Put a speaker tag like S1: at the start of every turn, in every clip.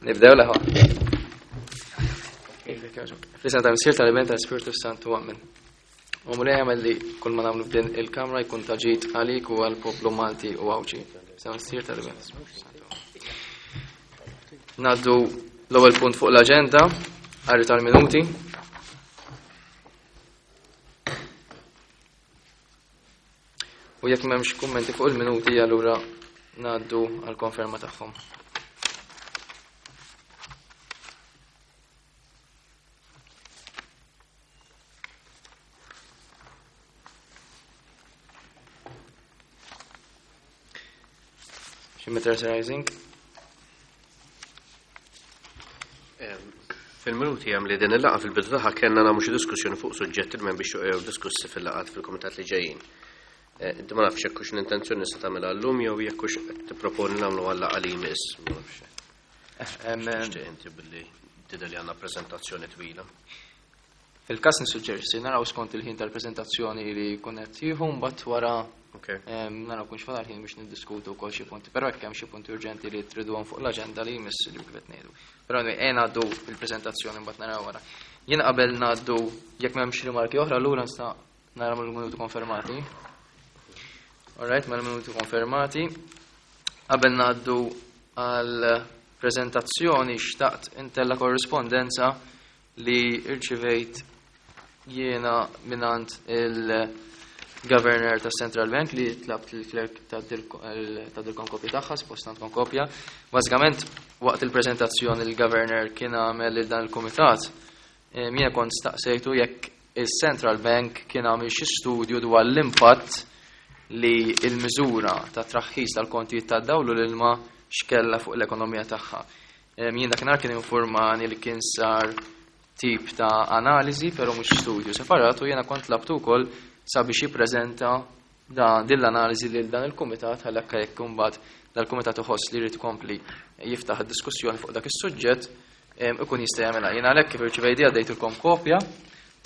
S1: Nibdew l-aħwa. Fl-isem ta' Missier tal-Iben tal-Ispirtu Santu Amen. U Mulej għamel li kull ma nagħmlu f'din il-kamra jkun ta' ġid għalik u għall-poplu Malti u Għawdxi. Sa' Missier tal-Iben tal-Ispirtu Santu. Naddu l-ewwel punt fuq l-aġenda, qari tal-minuti. U jekk m'hemmx kummenti fuq il-minuti allura ngħaddu għal konferma tagħhom. Xi Rising?
S2: Fil-minuti hemm li din il-laqgħa fil-bidu tagħha kellna nagħmlu xi diskussjoni fuq suġġetti li m'hemm biex jew diskussi fil-laqgħat fil-kumitat li ġejjin. Eh, inti ma nafx jekk hux l-intenzjoni se tagħmilha llum jew jekk hux qed tipproponi nagħmlu għal laqgħa li jmiss. Ma nafx. Eh, Tixtieq inti billi tidher li għandna preżentazzjoni twila.
S1: Fil-każ nissuġġerixxi naraw skont il-ħin tal-preżentazzjoni li jkun qed jieħu mbagħad wara naraw kunx fadal ħin biex niddiskutu wkoll xi punti, però jekk hemm xi punti urġenti li triduhom fuq l-aġenda li jmiss li kif qed ngħidu. Però ejja ngħaddu il-preżentazzjoni mbagħad naraw wara. Jien qabel ngħaddu jekk m'hemmx rimarki oħra allura nista' nara mill-minuti konfermati. Alright, mela minuti konfermati. Qabel ngħaddu għal preżentazzjoni xtaqt intella korrispondenza li rċivejt jiena mingħand il-Governor tas Central Bank li tlabt il-clerk ta' kopja tagħha, suppost għandkom kopja. Bażikament waqt il-preżentazzjoni il-Governor kien għamel lil dan il-kumitat, jiena kont staqsejtu jekk il-Central Bank kien għamel xi studju dwar l-impatt li il-miżura ta' traħħis tal-kontijiet tad-dawl u l-ilma x'kella fuq l-ekonomija tagħha. Jien dakinhar kien informani li kien sar tip ta' analiżi, però mhux studju separat u jiena kont tlabtu wkoll sabiex jippreżenta din l-analiżi lil dan il-kumitat ħalli anke jekk imbagħad dal-kumitat iħoss li jrid ikompli jiftaħ id-diskussjoni fuq dak is-suġġett ikun jista' jagħmilha. Jien għalhekk kif irċivejt għaddejtilkom kopja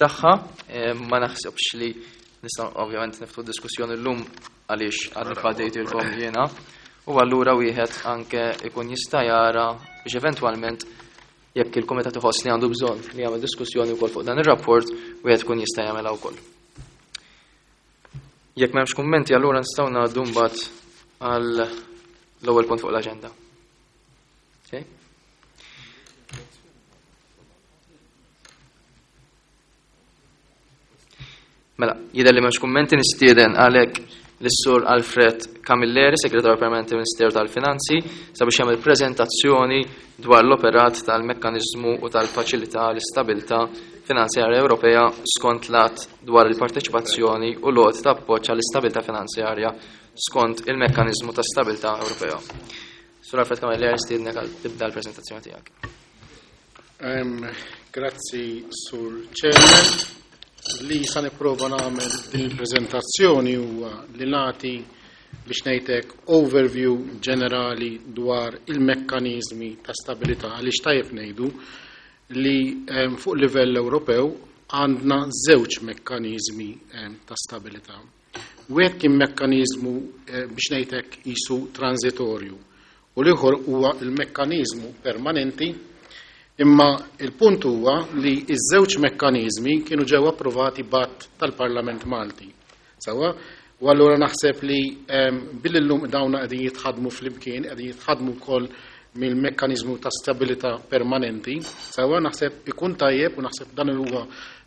S1: tagħha, ma naħsibx li nistgħu ovvjament niftħu diskussjoni llum għaliex għadni kif għaddejtilkom jiena. U allura wieħed anke ikun jista' jara biex eventwalment jekk il-kumitat iħoss li għandu bżonn li jagħmel diskussjoni wkoll fuq dan ir-rapport, wieħed ikun jista' jagħmelha wkoll. Jekk m'hemmx kummenti allura nistgħu ngħaddu mbagħad għal l-ewwel punt fuq l-aġenda. Okay? Mela, jidher li m'hemmx kummenti nistieden għalhekk lis-Sur Alfred Camilleri, Segretarju Permanenti Ministeru tal-Finanzi, sabiex jagħmel preżentazzjoni dwar l-operat tal-mekkaniżmu u tal-faċilità l-istabilità finanzjarja Ewropea skont l-att dwar il-parteċipazzjoni u l-għoti ta' appoġġ għall-istabilità finanzjarja skont il-mekkaniżmu ta' stabilità Ewropea. Sur Alfred Camilleri, nistiednek għal tibda l-preżentazzjoni tiegħek.
S3: Grazzi, Sur Chairman. Li sa nipprova nagħmel din il-preżentazzjoni huwa li nagħti biex ngħidlek overview ġenerali dwar il-mekkaniżmi ta' stabilità għaliex tajjeb ngħidu li fuq livell Ewropew għandna żewġ mekkaniżmi ta' stabilità. Wieħed kien mekkaniżmu eh, biex ngħidlek qisu transitorju u l-ieħor huwa l-mekkaniżmu permanenti, imma il-punt huwa li ż-żewġ mekkaniżmi kienu ġew approvati b'att tal-Parlament Malti. Sewwa? U allura naħseb li ehm, billi llum dawna qegħdin jitħadmu flimkien, qegħdin jitħadmu wkoll mill-mekkaniżmu ta' stabilità permanenti, sewwa naħseb ikun tajjeb u naħseb dan huwa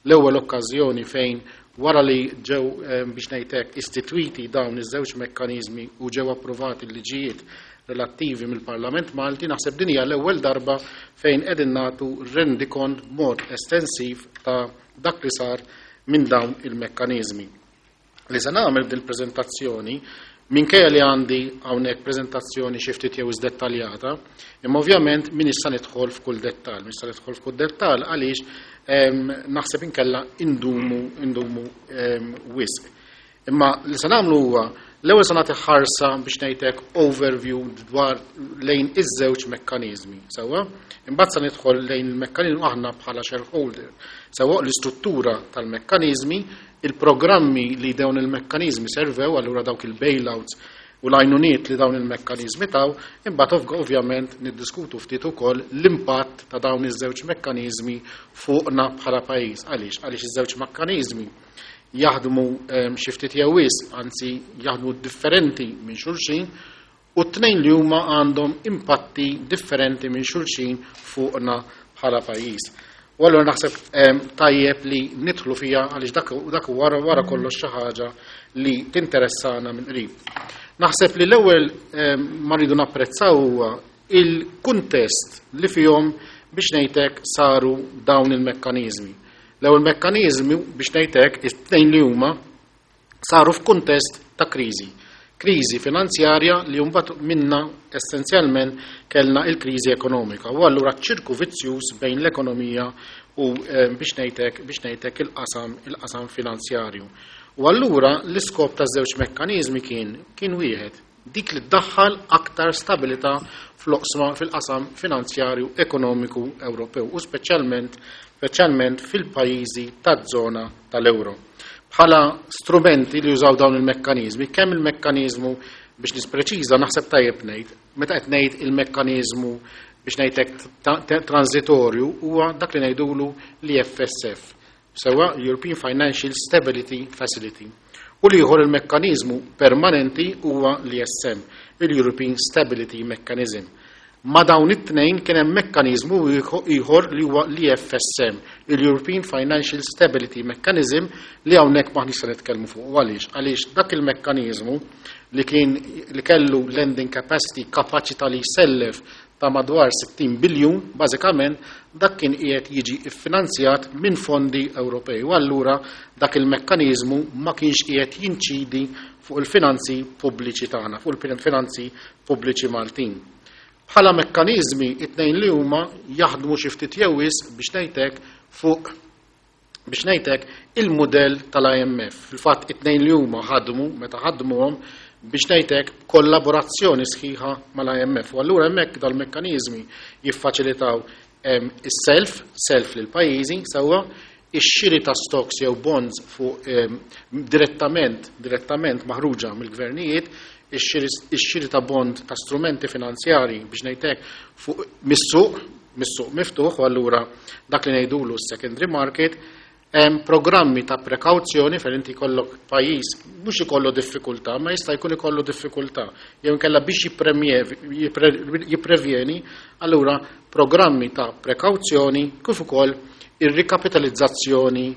S3: l-ewwel okkażjoni fejn wara li ġew ehm, biex ngħid hekk istitwiti dawn iż-żewġ mekkaniżmi u ġew approvati l-liġijiet relattivi mill-Parlament Malti, naħseb din hija l-ewwel darba fejn qegħdin nagħtu rendikont b'mod estensiv ta' dak li sar minn dawn il-mekkaniżmi. Li se nagħmel din il-preżentazzjoni minkejja li għandi hawnhekk preżentazzjoni xi ftit jew dettaljata, imma ovvjament min issa nidħol f'kull dettall, min issa nidħol f'kull dettall għaliex naħseb inkella indumu indumu wisq. Imma li se nagħmlu huwa l-ewwel se nagħti ħarsa biex ngħidlek overview dwar lejn iż-żewġ mekkaniżmi, sewwa? Imbagħad se nidħol lejn il-mekkaniżmu aħna bħala shareholder, sewwa l-istruttura tal-mekkaniżmi, il-programmi li dawn il-mekkaniżmi servew, allura dawk il-bailouts. u l-għajnuniet li dawn il-mekkaniżmi taw, imbagħad ovvjament niddiskutu ftit ukoll l-impatt ta' dawn iż-żewġ mekkaniżmi fuqna bħala pajjiż. Għaliex? Għaliex iż-żewġ mekkaniżmi jaħdmu xi ftit jew wisq, anzi jaħdmu differenti minn xulxin, u t-tnejn li huma għandhom impatti differenti minn xulxin fuqna bħala pajjiż. U allura naħseb tajjeb li nidħlu fiha għaliex dak wara kollox xi ħaġa li tinteressana minn qrib. Naħseb li l-ewwel ma rridu napprezzaw huwa il-kuntest li fihom biex ngħidlek saru dawn il-mekkaniżmi. L-ewwel mekkaniżmi biex ngħidlek it-tnejn li huma saru f'kuntest ta' kriżi. Kriżi finanzjarja li mbagħad minna essenzjalment kellna il-kriżi ekonomika. U allura ċirku vizzjuż bejn l-ekonomija u biex ngħidlek il-qasam finanzjarju. U allura l-iskop ta' żewġ mekkaniżmi kien wieħed, dik li ddaħħal aktar stabilità fl-oqsma fil-qasam finanzjarju ekonomiku Ewropew u speċjalment fil-pajjiżi taż-żona tal-euro. Bħala strumenti li jużaw dawn il-mekkaniżmi, kemm il-mekkaniżmu biex nispreċiża naħseb tajjeb ngħid, meta qed ngħid il-mekkaniżmu biex ngħidlek transitorju huwa dak li ngħidulu l-EFSF, sewa European Financial Stability Facility. U l-ieħor il-mekkaniżmu permanenti huwa l-ESM, il-European Stability Mechanism. Ma dawn it-tnejn kien hemm mekkaniżmu ieħor li huwa l-EFSM, il-European Financial Stability Mechanism, li hawnhekk m'aħniex se nitkellmu fuq. Għaliex? Għaliex dak il-mekkaniżmu li kien li kellu lending capacity, kapaċità li jsellef ta' madwar 60 biljun, bażikament dak kien qiegħed jiġi ffinanzjat minn fondi Ewropej. U allura dak il-mekkaniżmu ma kienx qiegħed jinċidi fuq il-finanzi pubbliċi tagħna, fuq il-finanzi pubbliċi Maltin. Bħala mekkaniżmi it-tnejn li huma jaħdmu xi ftit jew wisq biex ngħidlek fuq biex ngħidlek il-mudell tal-IMF. Fil-fatt it-tnejn li huma ħadmu meta ħadmuhom biex ngħidlek kollaborazzjoni sħiħa mal-IMF. U allura hemmhekk dal-mekkaniżmi jiffaċilitaw is-self, self lil pajjiżi sewwa, ix-xiri ta' stocks jew bonds fuq direttament maħruġa mill-gvernijiet, ix-xiri ta' bond ta' strumenti finanzjari biex ngħidlek fuq mis-suq miftuħ, u allura dak li ngħidulu secondary market, hemm programmi ta' prekawzjoni fejn inti jkollok pajjiż mhux ikollu diffikultà, ma jista' jkun ikollu diffikultà, jew inkella biex jipprevjeni, allura programmi ta' prekawzjoni kif ukoll ir-rikapitalizzazzjoni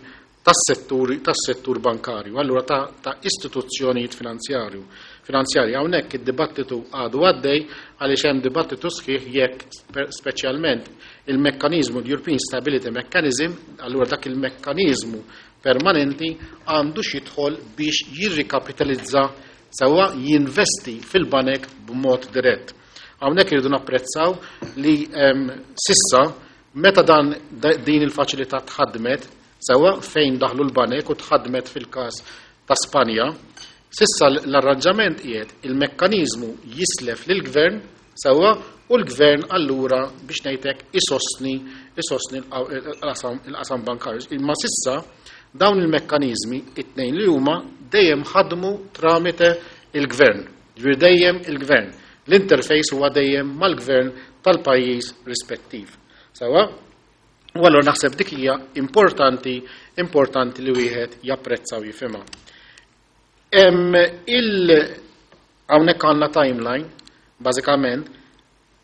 S3: tas-settur bankarju, allura ta' istituzzjonijiet finanzjarji. Hawnhekk id-dibattitu għadu għaddej għaliex hemm dibattitu sħiħ jekk speċjalment il-mekkaniżmu l-European Stability Mechanism, allura dak il-mekkaniżmu permanenti għandu x'jidħol biex jirrikapitalizza sewwa jinvesti fil-banek b'mod dirett. Hawnhekk irridu napprezzaw li sissa meta din il-faċilità tħaddmet sewwa fejn daħlu l-banek u tħaddmet fil-każ ta' Spanja, sissa l-arranġament qiegħed il-mekkaniżmu jislef lill-gvern sewwa u l-gvern allura biex ngħidlek isostni il-qasam bankarju. Imma sissa dawn il-mekkaniżmi it-tnejn li huma dejjem ħadmu tramite il-gvern. Ġifieri dejjem il-gvern. L-interface huwa dejjem mal-gvern tal-pajjiż rispettiv. Sewwa? U allura naħseb dik hija importanti li wieħed japprezza u jifhimha. Hawnhekk għandna timeline, bażikament,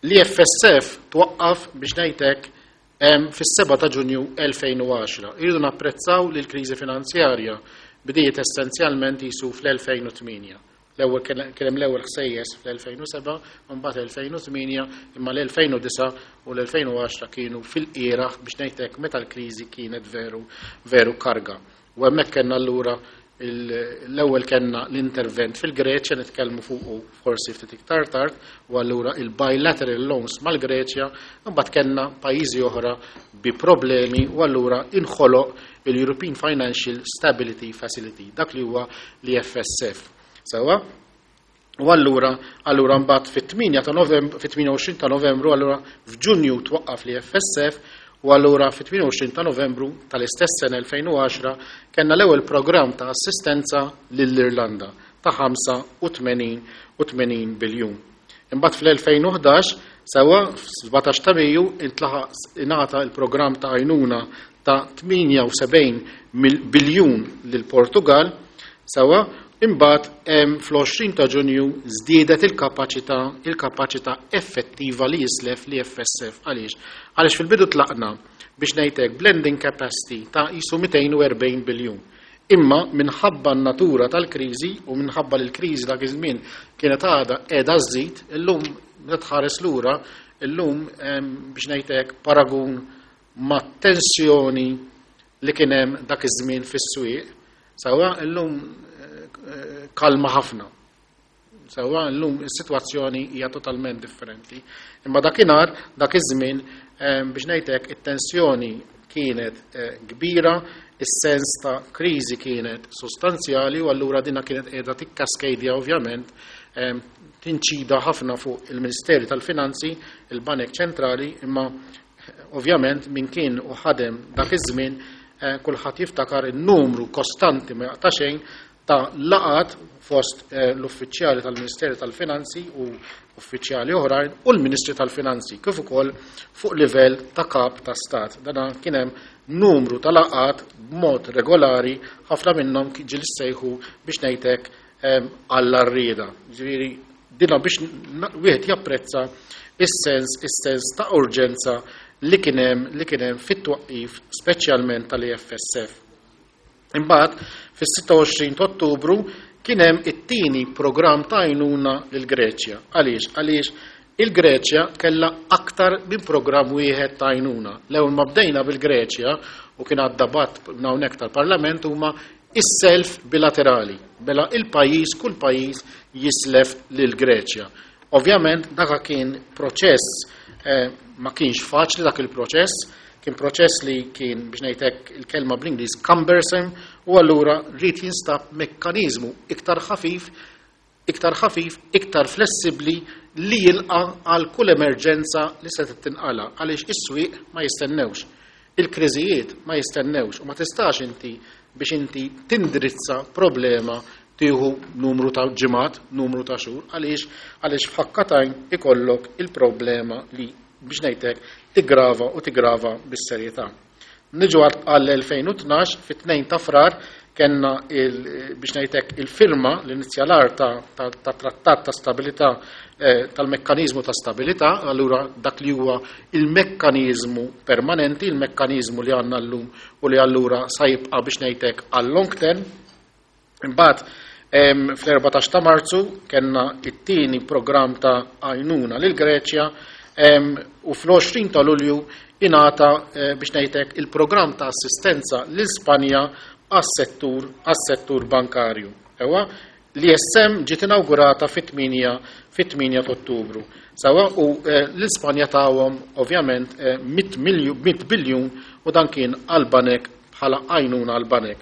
S3: li FSF twaqqaf biex ngħidlek fis-7 ta' Ġunju 2010. Irridu napprezzaw li l-kriżi finanzjarja bdiet essenzjalment jisu fl-2008. L-ewwel kien hemm l-ewwel ħsejjes fl-2007, u mbagħad 2008, imma l-2009 u l-2010 kienu fil-qieraħ biex ngħidlek meta l-kriżi kienet veru, veru karga. U hemmhekk kellna allura l-ewwel kellna l-intervent fil-Greċja, nitkellmu fuqu forsi ftit iktar tard, u allura il-bilateral loans mal-Greċja, imbagħad kellna pajjiżi oħra bi problemi u allura inħoloq il-European Financial Stability Facility, dak li huwa l-EFSF. Sewwa? U allura mbagħad fit-tmienja ta' Novembru, fit-tmienja u għoxrin ta' Novembru, allura f'Ġunju twaqqaf l-EFSF, u allura fit-28 ta' Novembru tal-istess sena 2010 kellna l-ewwel programm ta' assistenza lill-Irlanda. ta' 85 u 80 biljun. Imbagħad fl-2011, sewwa, f'17 ta' Mejju intlaħaq ingħata l-programm ta' għajnuna ta' 78 biljun lill-Portugall, sewwa, imbagħad fl-20 ta' Ġunju żdiedet il-kapaċità il-kapaċità effettiva li jislef l-EFSF. Għaliex? Għaliex fil-bidu tlaqna biex ngħid hekk b'lending capacity ta' qisu 240 biljun. Imma minħabba n-natura tal-kriżi u minħabba li l-kriżi dak iż-żmien kienet għadha qiegħda żżid, illum meta tħares lura, illum biex ngħid hekk paragun mat-tensjoni li kien hemm dak iż-żmien fis-swieq, sewwa illum kalma ħafna. Sewwa llum is-sitwazzjoni hija totalment differenti. Imma dakinhar, dak iż-żmien, biex ngħid hekk, it-tensjoni kienet kbira, is-sens ta' kriżi kienet sostanzjali u allura dina kienet qiegħda tikkaskejdia ovvjament tinċida ħafna fuq il-Ministeri tal-Finanzi, il-Banek Ċentrali, imma ovvjament min kien u ħadem dak iż-żmien kulħadd jiftakar in-numru kostanti ma jaqta' xejn ta' laqgħat fost l-uffiċjali tal-Ministeru tal-Finanzi u uffiċjali oħrajn u l-Ministri tal-Finanzi kif ukoll fuq livell ta' kap ta' stat. Dana kien hemm numru ta' laqgħat b'mod regolari, ħafna minnhom ġieli ssejħu biex ngħid hekk għall-għarrieda. Ġifieri dina biex wieħed japprezza is-sens is-sens ta' urġenza li kien hemm li kien hemm fit-twaqqif speċjalment tal-EFSF. Imbagħad, fis-26 ta' Ottubru kien hemm it-tieni programm ta' għajnuna lill-Greċja. Għaliex? Għaliex il-Greċja kellha aktar minn programm wieħed ta' għajnuna. L-ewwel ma bdejna bil-Greċja u kien għadda bat minn hawnhekk tal-Parlament huma is-self bilaterali. Mela il-pajjiż kull pajjiż jislef lill-Greċja. Ovvjament dak kien proċess ma kienx faċli dak il-proċess, kien proċess li kien biex ngħid hekk il-kelma bl-Ingliż cumbersome u allura rrid jinstab mekkaniżmu iktar ħafif, iktar ħafif, iktar flessibbli li jilqa' għal kull emerġenza li se tinqala għaliex is-swieq ma jistennewx. Il-kriżijiet ma jistennewx u ma tistax inti biex inti tindirizza problema tieħu numru ta' ġimgħat, numru ta' xhur, għaliex għaliex f'ħakka t'għajn ikollok il-problema li biex ngħidlek tigrava u tigrava bis-serjetà. Niġu għall-2012 fit-2 ta' Frar kellna biex ngħidlek il-firma l-inizjalar ta' trattat ta' stabilità tal-mekkaniżmu ta' stabilità, allura dak li huwa il-mekkaniżmu permanenti, il-mekkaniżmu li għandna llum u li allura sa jibqa' biex ngħidlek għal long term. Imbagħad fl-14 ta' Marzu kellna it-tieni programm ta' għajnuna lil Greċja u fl-20 ta' Lulju ingħata biex ngħidlek il-programm ta' assistenza lil Spanja għas-settur bankarju. Ewa, l-ISM ġiet inawgurata fit-8 ta' Ottubru. Sawa u l-Ispanja tawhom ovvjament 100 biljun u dan kien għal-banek bħala għajnuna għal-banek.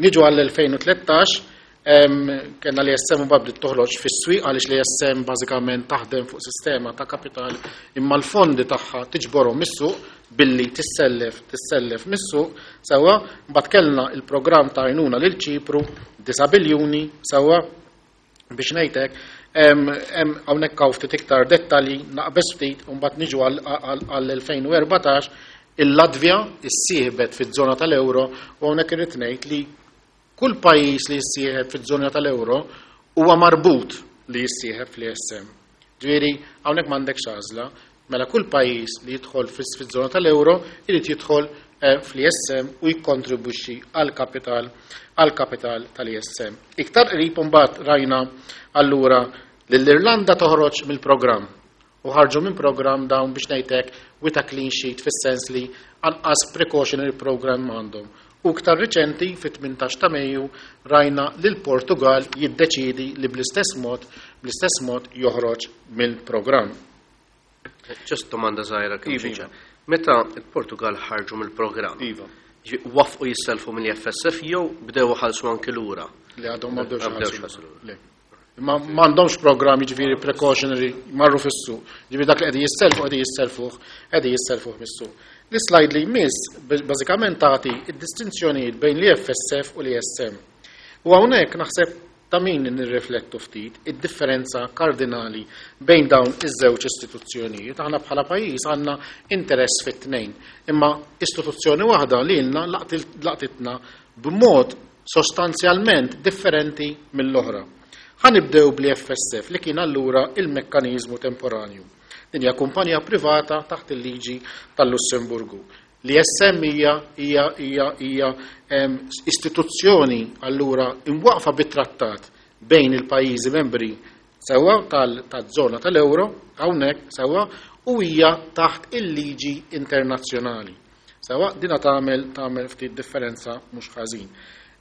S3: Niġu għall-2013, kellna l-ESM u bdiet toħroġ fis-swieq għaliex l-ESM bażikament taħdem fuq sistema ta' kapital imma l-fondi tagħha tiġborhom mis-suq billi tissellef tissellef mis-suq sewwa mbagħad kellna il-programm ta' għajnuna lil Ċipru 9 biljuni sewwa biex ngħidlek hawnhekk hawn ftit iktar dettalji naqbeż ftit u mbagħad niġu għall-2014 il-Latvja issieħbet fiż-żona tal-euro u hawnhekk irrid ngħid li kull pajjiż li jissieħeb fiż-żona tal-euro huwa marbut li jissieħeb fl-ESM. Ġifieri hawnhekk m'għandekx għażla, mela kull pajjiż li jidħol fiż-żona tal-euro irid jidħol fl-ESM u jikkontribwixxi għall-kapital għall-kapital tal-ESM. Iktar qrib imbagħad rajna allura lill-Irlanda toħroġ mill-programm u ħarġu minn programm dawn biex ngħidlek with a clean sheet fis-sens li anqas precautionary program għandhom. U iktar riċenti fit-18 ta' Mejju rajna lil Portugal jiddeċidi li bl-istess mod joħroġ mill-programm.
S2: Just domanda żgħira kemm Iva. Meta il-Portugal ħarġu mill-programm?
S3: Iva.
S2: Waqfu jisselfu mill-FSF jew bdew ħalsu anki lura?
S3: Li għadhom ma bdewx ħalsu. Ma m'għandhomx programm jiġifieri precautionary marru fis-suq. Ġifieri dak li qegħdin jisselfu qegħdin jisselfuh qegħdin jisselfuh mis-suq. L-slide li jmiss bażikament tagħti id-distinzjonijiet bejn l-FSF u l-ESM. U hawnhekk naħseb Ta' min nirriflettu ftit id-differenza kardinali bejn dawn iż-żewġ istituzzjonijiet. Aħna bħala pajjiż għandna interess fit-tnejn, imma istituzzjoni waħda lilna laqtitna b'mod sostanzjalment differenti mill-oħra. Ħa nibdew bl-EFSF li kien allura il-mekkaniżmu temporanju. Din hija kumpanija privata taħt il-liġi tal-Lussemburgu. L-ESM hija istituzzjoni allura imwaqfa bit-trattat bejn il-pajjiżi membri sewwa taż-żona tal-euro hawnhekk sewwa u hija taħt il-liġi internazzjonali. Sewwa dina tagħmel ftit differenza mhux ħażin.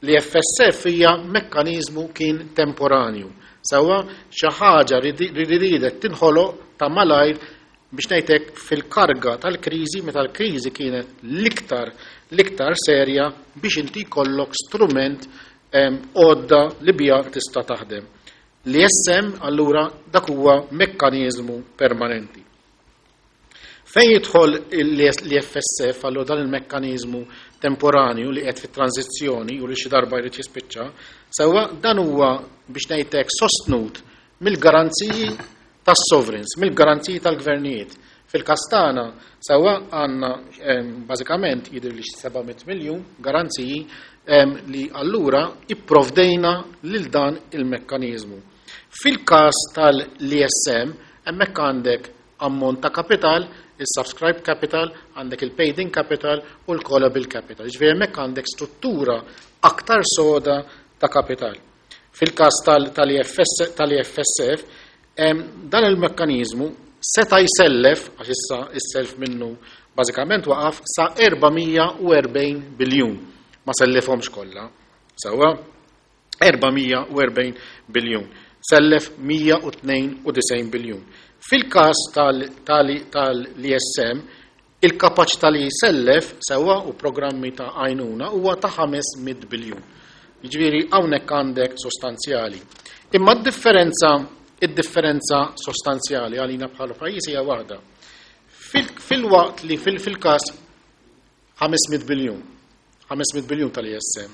S3: L-EFSF hija mekkaniżmu kien temporanju. Sewwa xi ħaġa li riedet tinħoloq ta' malajr biex ngħidlek fil-karga tal-kriżi, meta l-kriżi kienet l-iktar serja, biex inti jkollok strument, għodda li biha tista' taħdem. L-ESM allura dak huwa mekkaniżmu permanenti. Fejn jidħol l-EFSF, allura dan il-mekkaniżmu temporanju li qed fit-tranzizzjoni u li xi darba jrid jispiċċa, sewwa dan huwa biex ngħidlek sostnut mill-garanziji tas-sovereigns, mill-garanziji tal-gvernijiet. Fil-każ tagħna sewwa għandna bażikament jidher li 700 miljun garanziji li allura ipprovdejna lil dan il-mekkaniżmu. Fil-każ tal-ESM hemmhekk għandek ammont ta' kapital, il-subscribe capital, għandek il-paid-in capital u l-callable capital. Ġifieri hemmhekk għandek struttura aktar soda ta' kapital. Fil-każ tal-EFSF, dan il-mekkanizmu seta' jsellef, għax issa is-self minnu bażikament waqaf, sa 440 biljun. Ma sellefhomx kollha. Sewwa 440 biljun. Sellef 192 biljun. Fil-każ tal-ESM, il-kapaċità li jsellef sewwa u programmi ta' għajnuna huwa ta' 500 biljun. Jiġifieri hawnhekk għandek sostanzjali. Imma id-differenza sostanzjali għalina bħala pajjiż hija waħda. Fil-waqt li fil-każ 500 biljun, 500 biljun tal-ESM,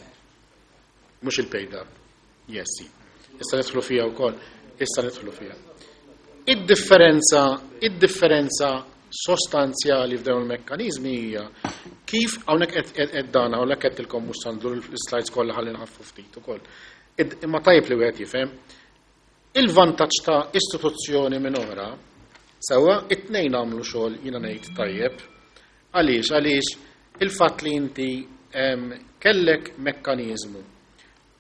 S3: mhux il-paid up. Yes, issa nidħlu fiha wkoll, issa nidħlu fiha. Id-differenza sostanzjali f'dawn il-mekkaniżmi hija kif hawnhekk qed dan hawnhekk qed tilkom mhux sandu l-slides kollha ħalli nħaffu ftit ukoll. Imma tajjeb li wieħed jifhem il-vantaġġ ta' istituzzjoni minn oħra sewwa it-tnejn għamlu xogħol jiena ngħid tajjeb. Għaliex? Għaliex il-fatt li inti kellek mekkaniżmu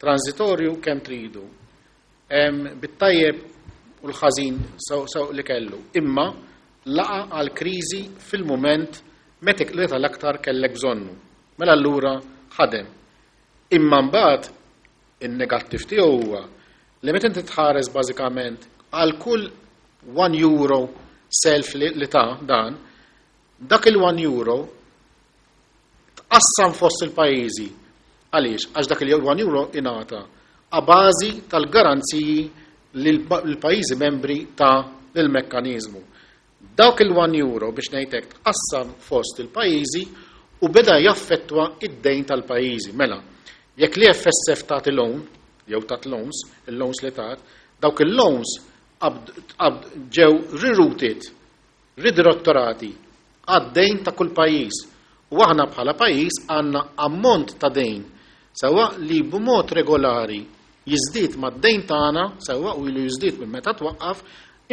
S3: transitorju kemm tridu, bit-tajjeb u l-ħażin sew li kellu, imma laqa għal kriżi fil-mument meta l-aktar kellek bżonnu. Mela allura ħadem. Imma mbagħad in-negattiv tiegħu huwa li meta inti tħares bażikament għal kull 1 euro self li ta' dan, dak il-1 euro tqassam fost il-pajjiżi. Għaliex? Għax dak il-1 euro ingħata a bażi tal-garanziji li l-pajjiżi membri ta' l-mekkaniżmu. Dawk il-1 euro biex ngħidlek tqassam fost il-pajjiżi u beda jaffettwa id-dejn tal-pajjiżi. Mela, jekk l-EFSF tagħti loan, jew tat loans, il-loans li tat, dawk il-loans ġew rerouted, ridirettorati għad-dejn ta' kull pajjiż. U aħna bħala pajjiż għandna ammont ta' dejn sewwa li b'mod regolari jiżdied mad-dejn tagħna sewwa u ilu jiżdied minn meta twaqqaf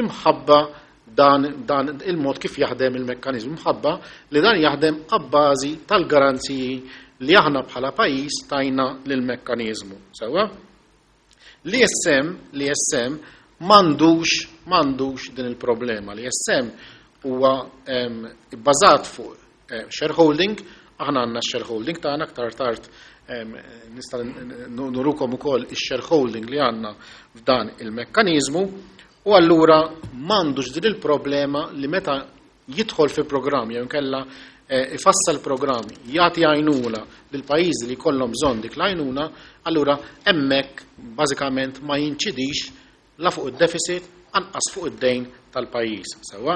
S3: imħabba dan il-mod kif jaħdem il-mekkaniżmu, imħabba li dan jaħdem abbażi tal-garanziji li aħna bħala pajjiż tajna lill-mekkaniżmu. Sewwa? L-ESM m'għandux din il-problema. L-ESM huwa bbażat fuq shareholding, aħna għandna shareholding tagħna, aktar tard nista' nurukom ukoll ix-shareholding li għandna f'dan il-mekkaniżmu, u allura m'għandux din il-problema li meta jidħol fi programm jew inkella ifassal programm jagħti għajnuna lil pajjiżi li jkollhom bżonn dik l-għajnuna, allura hemmhekk bażikament ma jinċidix la fuq id-deficit anqas fuq id-dejn tal-pajjiż. Sewwa,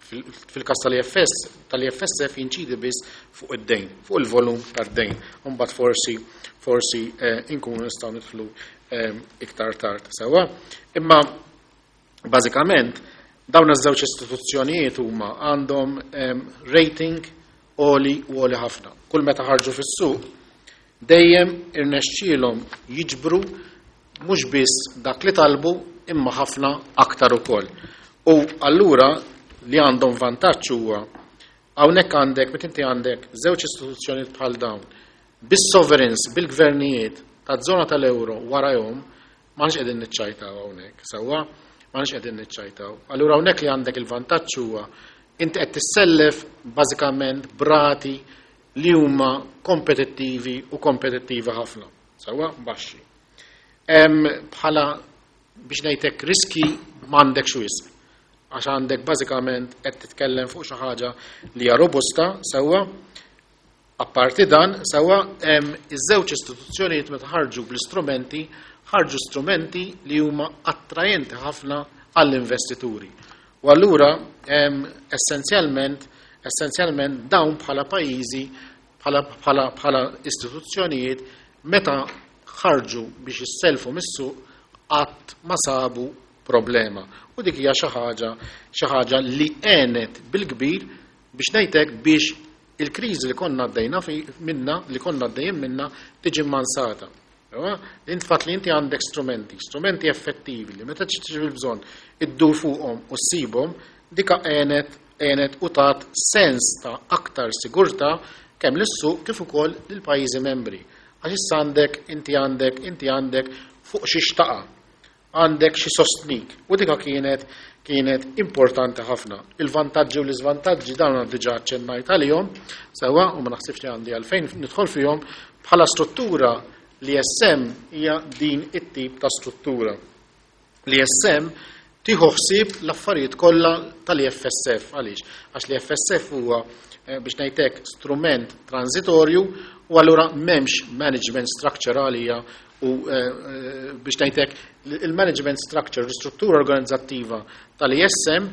S3: fil-każ tal-EFSF jinċidi biss fuq id-dejn, fuq il-volum tad-dejn. Imbagħad forsi inkunu nistgħu nidħlu iktar tard. Sewwa? Imma bażikament dawn iż-żewġ istituzzjonijiet huma għandhom rating għoli u għoli ħafna. Kull meta ħarġu fis-suq dejjem irnexxielhom jiġbru mhux biss dak li talbu imma ħafna aktar ukoll. U allura li għandhom vantaġġ huwa hawnhekk għandek meta inti għandek żewġ istituzzjonijiet bħal dawn bis-sovereigns, bil-gvernijiet taż-żona tal-euro warajhom, m'aħniex qegħdin niċċajtaw hawnhekk, sewwa? M'aħniex qegħdin niċċajtaw. Allura hawnhekk li għandek il-vantaġġ huwa inti qed tissellef bażikament b'rati li huma kompetittivi u kompetittivi ħafna, sewwa? Baxxi. Bħala biex ngħidlek riski m'għandekx wisq, għax għandek bażikament qed titkellem fuq xi ħaġa li hija robusta, sewwa? Apparti dan, sewwa, iż-żewġ istituzzjonijiet meta ħarġu bl-istrumenti, ħarġu strumenti li huma attrajenti ħafna għall-investituri. U allura essenzjalment dawn bħala pajjiżi, bħala istituzzjonijiet, meta ħarġu biex jisselfu mis-suq, qatt ma sabu problema. U dik hija xi ħaġa li għenet bil-kbir biex ngħidlek biex il-kriżi li konna għaddejna minna, li konna għaddejjin minna, tiġi mmansata. Int fatt li inti għandek strumenti, strumenti effettivi li meta tiġi bil-bżonn iddur fuqhom u ssibhom, dika għenet u tat sens ta' aktar sigurtà kemm lis-suq kif ukoll lill-pajjiżi membri. Għax issa għandek, inti għandek, inti għandek fuq xi xtaqa, għandek xi sostnik. U dika kienet importanti ħafna. Il-vantaġġi u l-iżvantaġġi dawn għandi diġà aċċennajt għalihom, sewwa, u ma naħsibx li għandi għalfejn nidħol fihom, bħala struttura l-ISM hija din it-tip ta' struttura. L-ISM tieħu ħsieb l-affarijiet kollha tal-IFSF. Għaliex? Għax l-IFSF huwa biex ngħidlek strument transitorju u allura m'hemmx management structure għalija u biex ngħidlek il-management structure, l-istruttura organizzattiva tal-ISM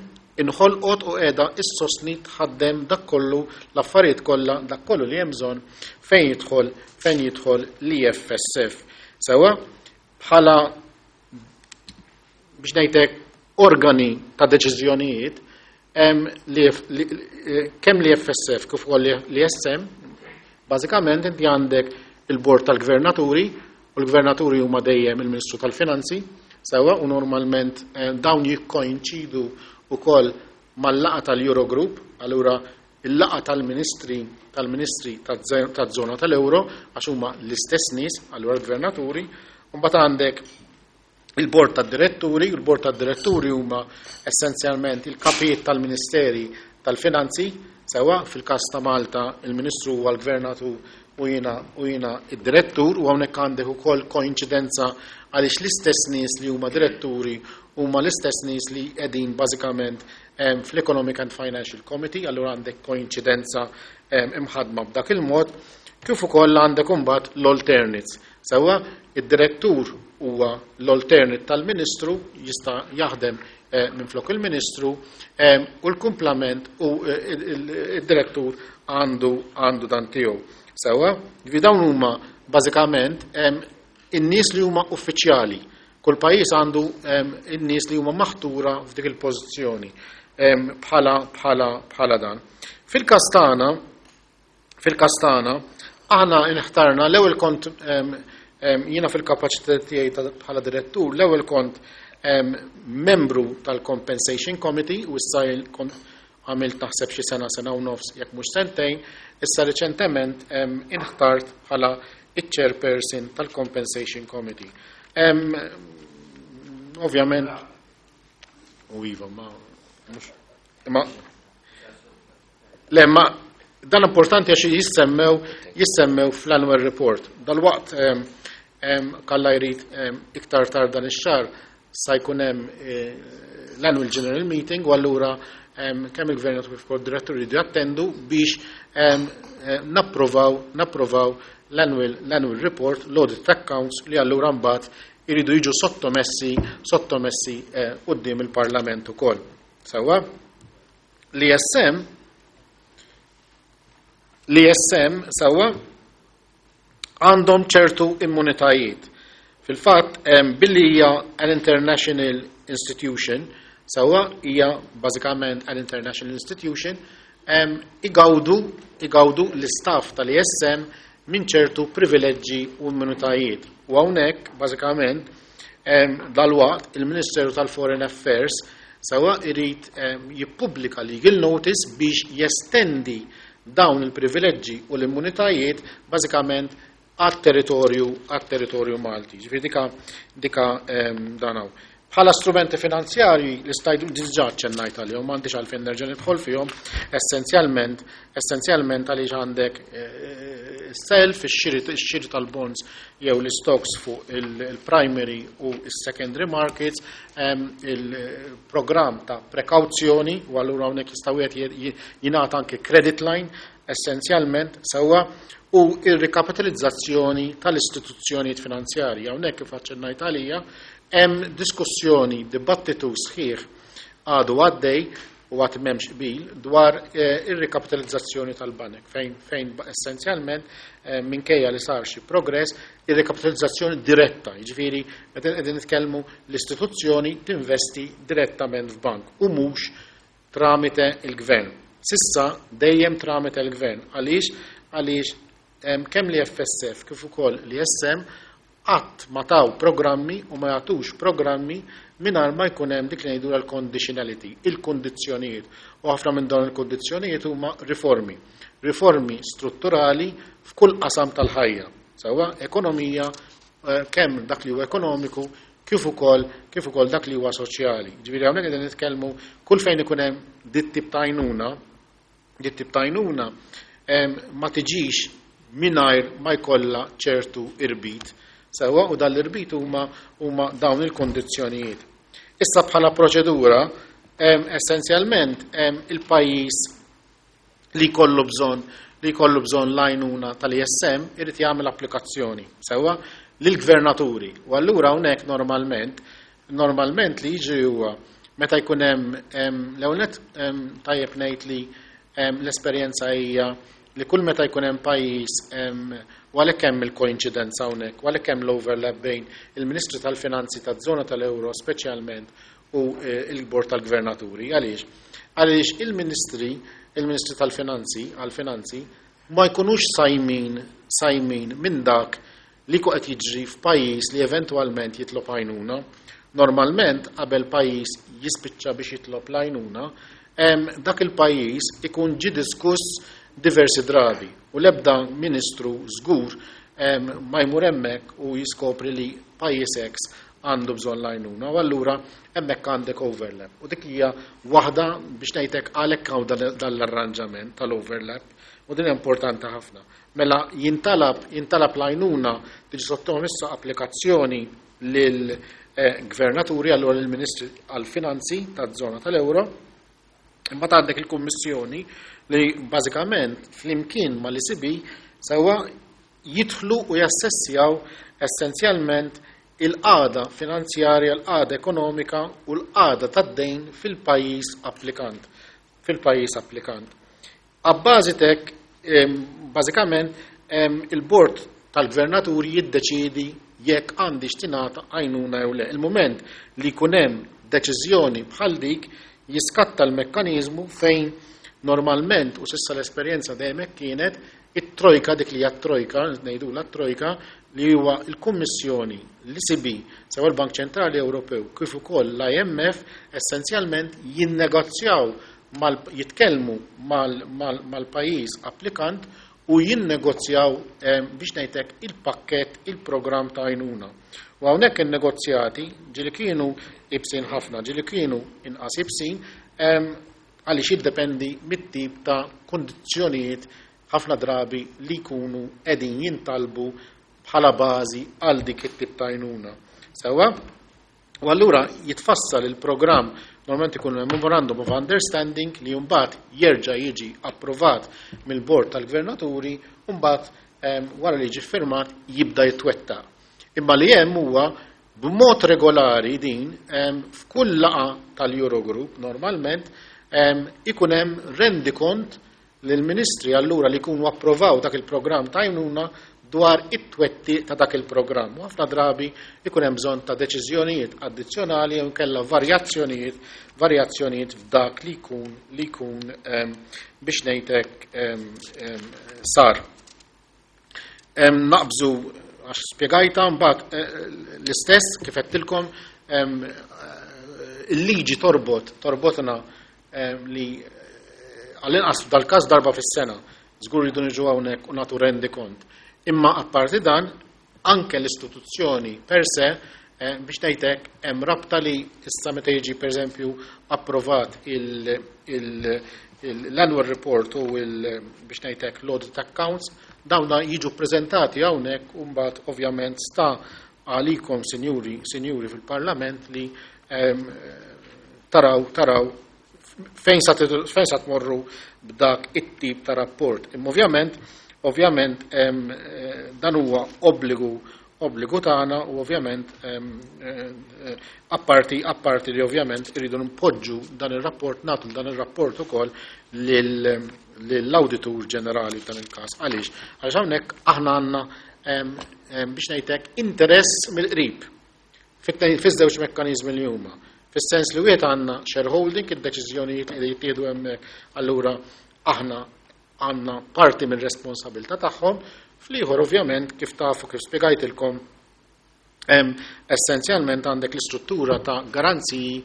S3: inħolqot u qiegħda issostni tħaddem dak kollu l-affarijiet kollha, dak kollu li hemm bżonn fejn jidħol l-IFSF. Sewwa, bħala biex ngħidlek organi ta' deċiżjonijiet, kemm l-IFSF kif ukoll l-ISM, bażikament inti għandek il-bord tal-gvernaturi, u l-gvernaturi huma dejjem il-Ministru tal-Finanzi, sewwa, u normalment dawn jikkoinċidu wkoll mal-laqgħa tal-Eurogroup, allura il-laqgħa tal-ministri taż-żona tal-Euro, għax huma l-istess nies, allura l-gvernaturi, u mbagħad għandek il-bord tad-diretturi, u l-bord tad-diretturi huma essenzjalment il-kapijiet tal-Ministeri tal-Finanzi, sewwa fil-każ ta' Malta il-Ministru huwa l-Gvernatur u jiena id-direttur, u hawnhekk għandek ukoll koinċidenza għaliex l-istess nies li huma diretturi huma l-istess nies li qegħdin bażikament fl-Economic and Financial Committee, allura għandek koinċidenza imħadma b'dak il-mod, kif ukoll għandek imbagħad l-alternates. Sewwa, id-direttur huwa l-alternate tal-Ministru, jista' jaħdem minn flok il-Ministru, u l-kumplament u id-direttur għandu dan tiegħu. Sewwa, ġifieri dawn huma bażikament in-nies li huma uffiċjali. Kull pajjiż għandu in-nies li huma maħtura f'dik il-pożizzjoni bħala dan. Fil-każ tagħna, aħna inħtarna l-ewwel kont jiena fil-kapaċità tiegħi bħala direttur, l-ewwel kont membru tal-Compensation Committee u issa kont għamilt naħseb xi sena, sena u nofs, jekk mhux sentejn, issa reċentement inħtart bħala iċ-chairperson tal-Compensation Committee. Ovvjament, u iva, ma, mhux, ma, le, ma, dan importanti għax jissemmew fl-annual report. Dal-waqt kalla jrid iktar tard dan ix-xahar sa jkun hemm l-annual general meeting u allura kemm il-gvern kif ukoll direttur jridu jattendu biex napprovaw l-annual report, l-audit accounts li allura mbagħad iridu jiġu sottomessi quddiem il-Parlament ukoll. Sewwa? L-ISM sewwa għandhom ċertu immunitajiet. Fil-fatt, billi hija an international institution, sewwa hija bażikament an international institution, igawdu l-istaff tal-ESM minn ċertu privileġġi u immunitajiet. U hawnhekk bażikament dalwaqt il-Ministeru tal-Foreign Affairs sewwa irid jippubblika legal notice biex jestendi dawn il-privileġġi u l-immunitajiet bażikament għat-territorju Malti. Ġifieri dika dan hawn. Bħala strumenti finanzjarji li stajt diġà ċennajt għalihom, m'għandix għalfejn nerġa' nidħol fihom, essenzjalment għaliex għandek self, ix-xiri tal-bonds jew l-stocks fuq il-primary u s-secondary markets, il-programm ta' prekawzjoni, u allura hawnhekk jista' wieħed jingħata anke credit line essenzjalment sewwa, u ir-rikapitalizzazzjoni tal-istituzzjonijiet finanzjarji. Hawnhekk kif aċċennajt għalija, hemm diskussjoni, dibattitu sħiħ għadu għaddej u għad m'hemmx qbil dwar ir-rikapitalizzazzjoni tal-banek, fejn essenzjalment minkejja li sar xi progress, ir-rikapitalizzazzjoni diretta, jiġifieri meta qegħdin nitkellmu l-istituzzjoni tinvesti direttament f'bank u mhux tramite il-gvern. Sissa dejjem tramite il-gvern. Għaliex? Għaliex kemm li FSF kif ukoll li SM qatt ma taw programmi u ma jagħtux programmi mingħajr ma jkun hemm dik li ngħidu l-conditionality, il-kundizzjonijiet. U ħafna minn dawn il-kundizzjonijiet huma riformi. Riformi strutturali f'kull qasam tal-ħajja. Sewwa ekonomija, kemm dak li huwa ekonomiku kif ukoll dak li huwa soċjali. Ġifieri hawnhekk qegħdin nitkellmu kull fejn ikun hemm dit tip ta' għajnuna, dit tip ta' għajnuna, ma tiġix mingħajr ma jkollha ċertu irbit. Sewwa, u dan l-irbit huma dawn il-kondizzjonijiet. Issa bħala proċedura, essenzjalment, il-pajjiż li jkollu bżonn li jkollu bżonn l-għajnuna tal-ISM irid jagħmel applikazzjoni sewwa lill-gvernaturi. U allura hawnhekk normalment li jiġri huwa meta jkun hemm l-ewwel nett, tajjeb ngħid li l-esperjenza hija li kull meta jkun hemm pajjiż, u għalhekk hemm il-koinċidenza hawnhekk, u għalhekk hemm l-overlap bejn il-Ministru tal-Finanzi taż-żona tal-Euro speċjalment u il-Bord tal-Gvernaturi. Għaliex? Għaliex il-Ministri tal-Finanzi għall-Finanzi ma jkunux sajmin minn dak li ku qed jiġri f'pajjiż li eventwalment jitlob għajnuna. Normalment qabel pajjiż jispiċċa biex jitlob l-għajnuna, dak il-pajjiż ikun ġi diskuss diversi drabi u l-ebda ministru żgur ma jmur hemmhekk u jiskopri li pajjiż X għandu bżonn l-għajnuna, u allura hemmhekk għandek overlap. U dik hija waħda biex ngħidlek għalhekk hawn dan l-arranġament tal-overlap, u din importanti ħafna. Mela jintalab l-għajnuna, tiġi sottomessa applikazzjoni lil-gvernaturi, allura lill-Ministri għall-Finanzi taż-żona tal-Euro. Imbagħad għandek il-Kummissjoni li bażikament flimkien mal-ECB sewwa jidħlu u jassessjaw essenzjalment il-qagħda finanzjarja, l-qagħda ekonomika u l-qagħda tad-dejn fil-pajjiż applikant. Fil-pajjiż applikant. Abbażi t'hekk, bażikament, il-bord tal-gvernaturi jiddeċiedi jekk għandix tingħata għajnuna jew le. Il-moment li jkun hemm deċiżjoni bħal dik jiskatta l-mekkaniżmu fejn normalment, u s'issa l-esperjenza dejjem hekk kienet, it-trojka, dik li hija t-trojka, ngħidula t-trojka, li huwa l-Kummissjoni, l-ECB, sew il-Bank Ċentrali Ewropew, kif ukoll l-IMF, essenzjalment jinnegozjaw jitkellmu mal-pajjiż applikant u jinnegozjaw biex ngħidlek il-pakkett, il-programm ta' għajnuna. U hawnhekk in-negozjati ġieli kienu ibsin ħafna, ġieli kienu inqas ibsin, għaliex jiddependi mit-tip ta' kondizzjonijiet ħafna drabi li jkunu qegħdin jintalbu bħala bażi għal dik it-tip ta' għajnuna. Sewwa? U allura jitfassal il-programm, normalment ikun memorandum of understanding li mbagħad jerġa' jiġi approvat mill-bord tal-gvernaturi u mbagħad wara li jiġi firmat jibda jitwettaq. Imma li hemm huwa b'mod regolari din f'kull laqgħa tal-Eurogroup normalment ikun hemm rendikont lill-ministri allura li jkunu approvaw dak il-programm ta' għajnuna. dwar it-twettiq ta' dak il-programm. U ħafna drabi ikun hemm bżonn ta' deċiżjonijiet addizzjonali jew inkella varjazzjonijiet varjazzjonijiet f'dak li jkun li jkun biex ngħidlek sar. Naqbżu għax spjegajta mbagħad l-istess kif għedtilkom il-liġi torbot torbotna li għall-inqas f'dal-każ darba fis-sena żgur rridu niġu hawnhekk u nagħtu rendikont. Imma apparti dan, anke l-istituzzjoni per se biex ngħidlek hemm rabta li issa meta jiġi pereżempju approvat l-annual report u biex ngħidlek l-audit accounts, dawna jiġu ppreżentati hawnhekk u mbagħad ovvjament sta għalikom sinjuri, sinjuri fil-Parlament li taraw taraw fejn sa fejn sa tmorru b'dak it-tip ta' rapport. Imma ovvjament ovvjament dan huwa obbligu obbligu tagħna u ovvjament apparti apparti li ovvjament irridu npoġġu dan ir-rapport nagħtu dan ir-rapport ukoll lill-Awditur Ġenerali f'dan il-każ. Għaliex? Għaliex hawnhekk aħna għandna biex ngħidlek interess mill-qrib fiż-żewġ mekkaniżmi li huma. Fis-sens li wieħed għandna shareholding, id-deċiżjonijiet li jittieħdu hemmhekk, allura aħna għandna parti minn responsabilità tagħhom, fl-ieħor ovvjament kif tafu kif spjegajtilkom essenzjalment għandek l-istruttura ta' garanziji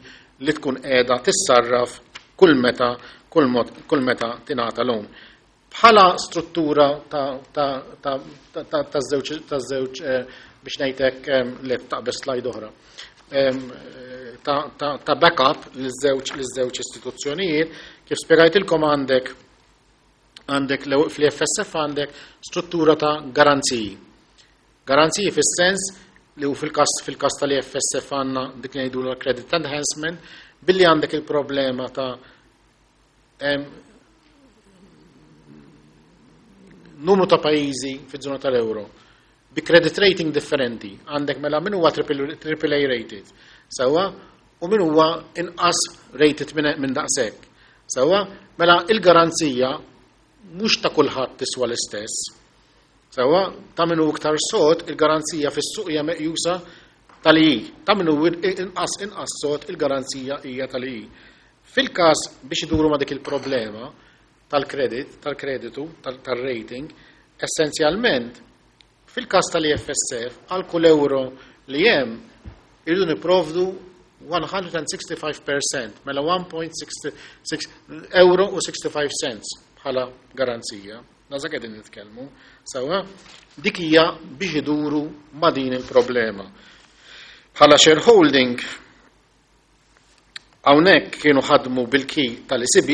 S3: li tkun qiegħda tissarraf kull meta kull mod kull meta tingħata loan. Bħala struttura ta' żewġ biex ngħidlek li taqbeż slide oħra. Ta' backup liż-żewġ istituzzjonijiet, kif spjegajtilkom għandek għandek fl-FSF għandek struttura ta' garanziji. Garanziji fis-sens li u fil-kas fil-kas tal-FSF għandna dik li ngħidu l-credit enhancement billi għandek il-problema ta' numru ta' pajjiżi fiż-żona tal-euro bi credit rating differenti. Għandek mela min huwa triple A rated. Sewwa, u min huwa inqas rated minn daqshekk. Sewwa, mela il-garanzija mhux ta' kulħadd tiswa l-istess. Sewwa, ta' min hu iktar sod, il-garanzija fis-suq hija meqjusa tal-I. Ta' min hu inqas inqas sod, il-garanzija hija tal-I. Fil-każ biex iduru ma' dik il-problema tal-credit, tal-kreditu, tal-rating, essenzjalment fil-każ tal-EFSF għal kull euro li hemm irridu nipprovdu 165%, mela 1.66 euro u 65 cents bħala garanzija. Naza qegħdin nitkellmu. Sewwa, dik hija biex iduru ma' din il-problema. Bħala shareholding hawnhekk kienu ħadmu bil-key tal-ECB,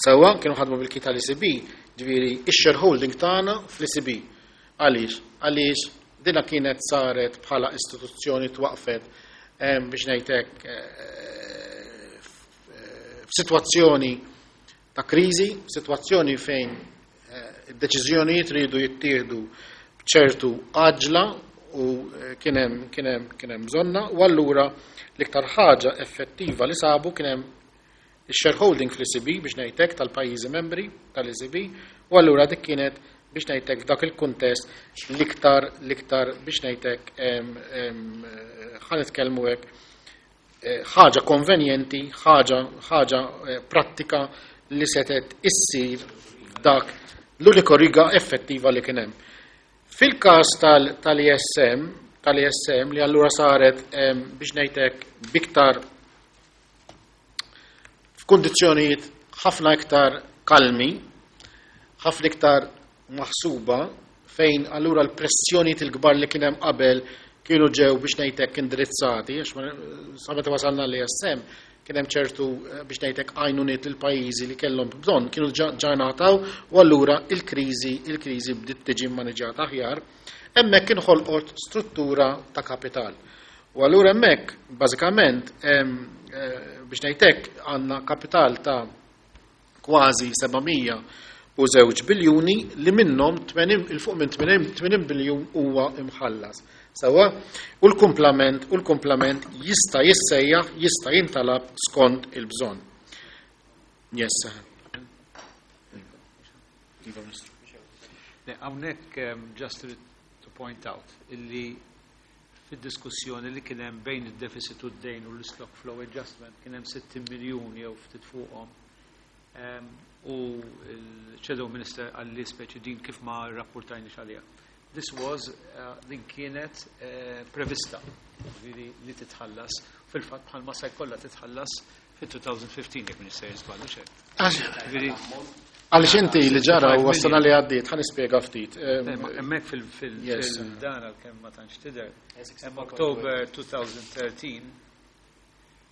S3: sewwa kienu ħadmu bil-key tal-ECB, ġifieri ix-shareholding tagħna fl-ECB. Għaliex? Għaliex dina kienet saret bħala istituzzjoni twaqfet biex ngħidlek f'sitwazzjoni ta' kriżi, sitwazzjoni fejn id-deċiżjonijiet ridu jittieħdu b'ċertu għaġla u kien hemm kien hemm kien hemm bżonna u allura l-iktar ħaġa effettiva li sabu kien hemm il-shareholding fl-ECB biex ngħidlek tal-pajjiżi membri tal-ECB u allura dik kienet biex ngħidlek f'dak il-kuntest l-iktar l-iktar biex ngħidlek ħa nitkellmu hekk ħaġa konvenjenti, ħaġa ħaġa prattika li setet issir dak l-uniku riga effettiva li kien hemm. Fil-każ tal-ESM, tal-ESM li allura saret biex ngħidlek biktar f'kundizzjonijiet ħafna iktar kalmi, ħafna iktar maħsuba fejn allura l-pressjonijiet il-kbar li kien hemm qabel kienu ġew biex ngħidlek indirizzati, għax sa meta wasalna l-ESM kien hemm ċertu biex ngħidlek għajnuniet lil pajjiżi li kellhom bżonn kienu ġa ngħataw u allura il-kriżi il-kriżi bdiet tiġi mmaniġġjata aħjar. Hemmhekk inħolqot struttura ta' kapital. U allura hemmhekk bażikament biex ngħidlek għandna kapital ta' kważi 702 biljuni li minnhom il fuq minn 80 biljun huwa imħallas. Sewwa, u l-kumplament u l-kumplament jista' jissejjaħ, jista' jintalab skont il-bżonn. Yes. Iva, Ministru.
S4: Le, hawnhekk just to point out illi fid-diskussjoni li kien hemm bejn id-deficit u d-dejn u l-stock flow adjustment kien hemm 60 miljun jew ftit fuqhom. U l-Shadow Minister għalli speċi din kif ma rrapportajniex għaliha. This was, din kienet prevista, ġifieri li titħallas, fil-fatt bħalma se jkollha titħallas fit-2015 jekk m'iniex sejjer żball, hux hekk? Ġifieri
S3: Għaliex inti li ġara huwa s-sena li għaddiet, ħa nispjega ftit.
S4: Hemmhekk fil-dan għalkemm ma tantx tidher. Hemm October 2013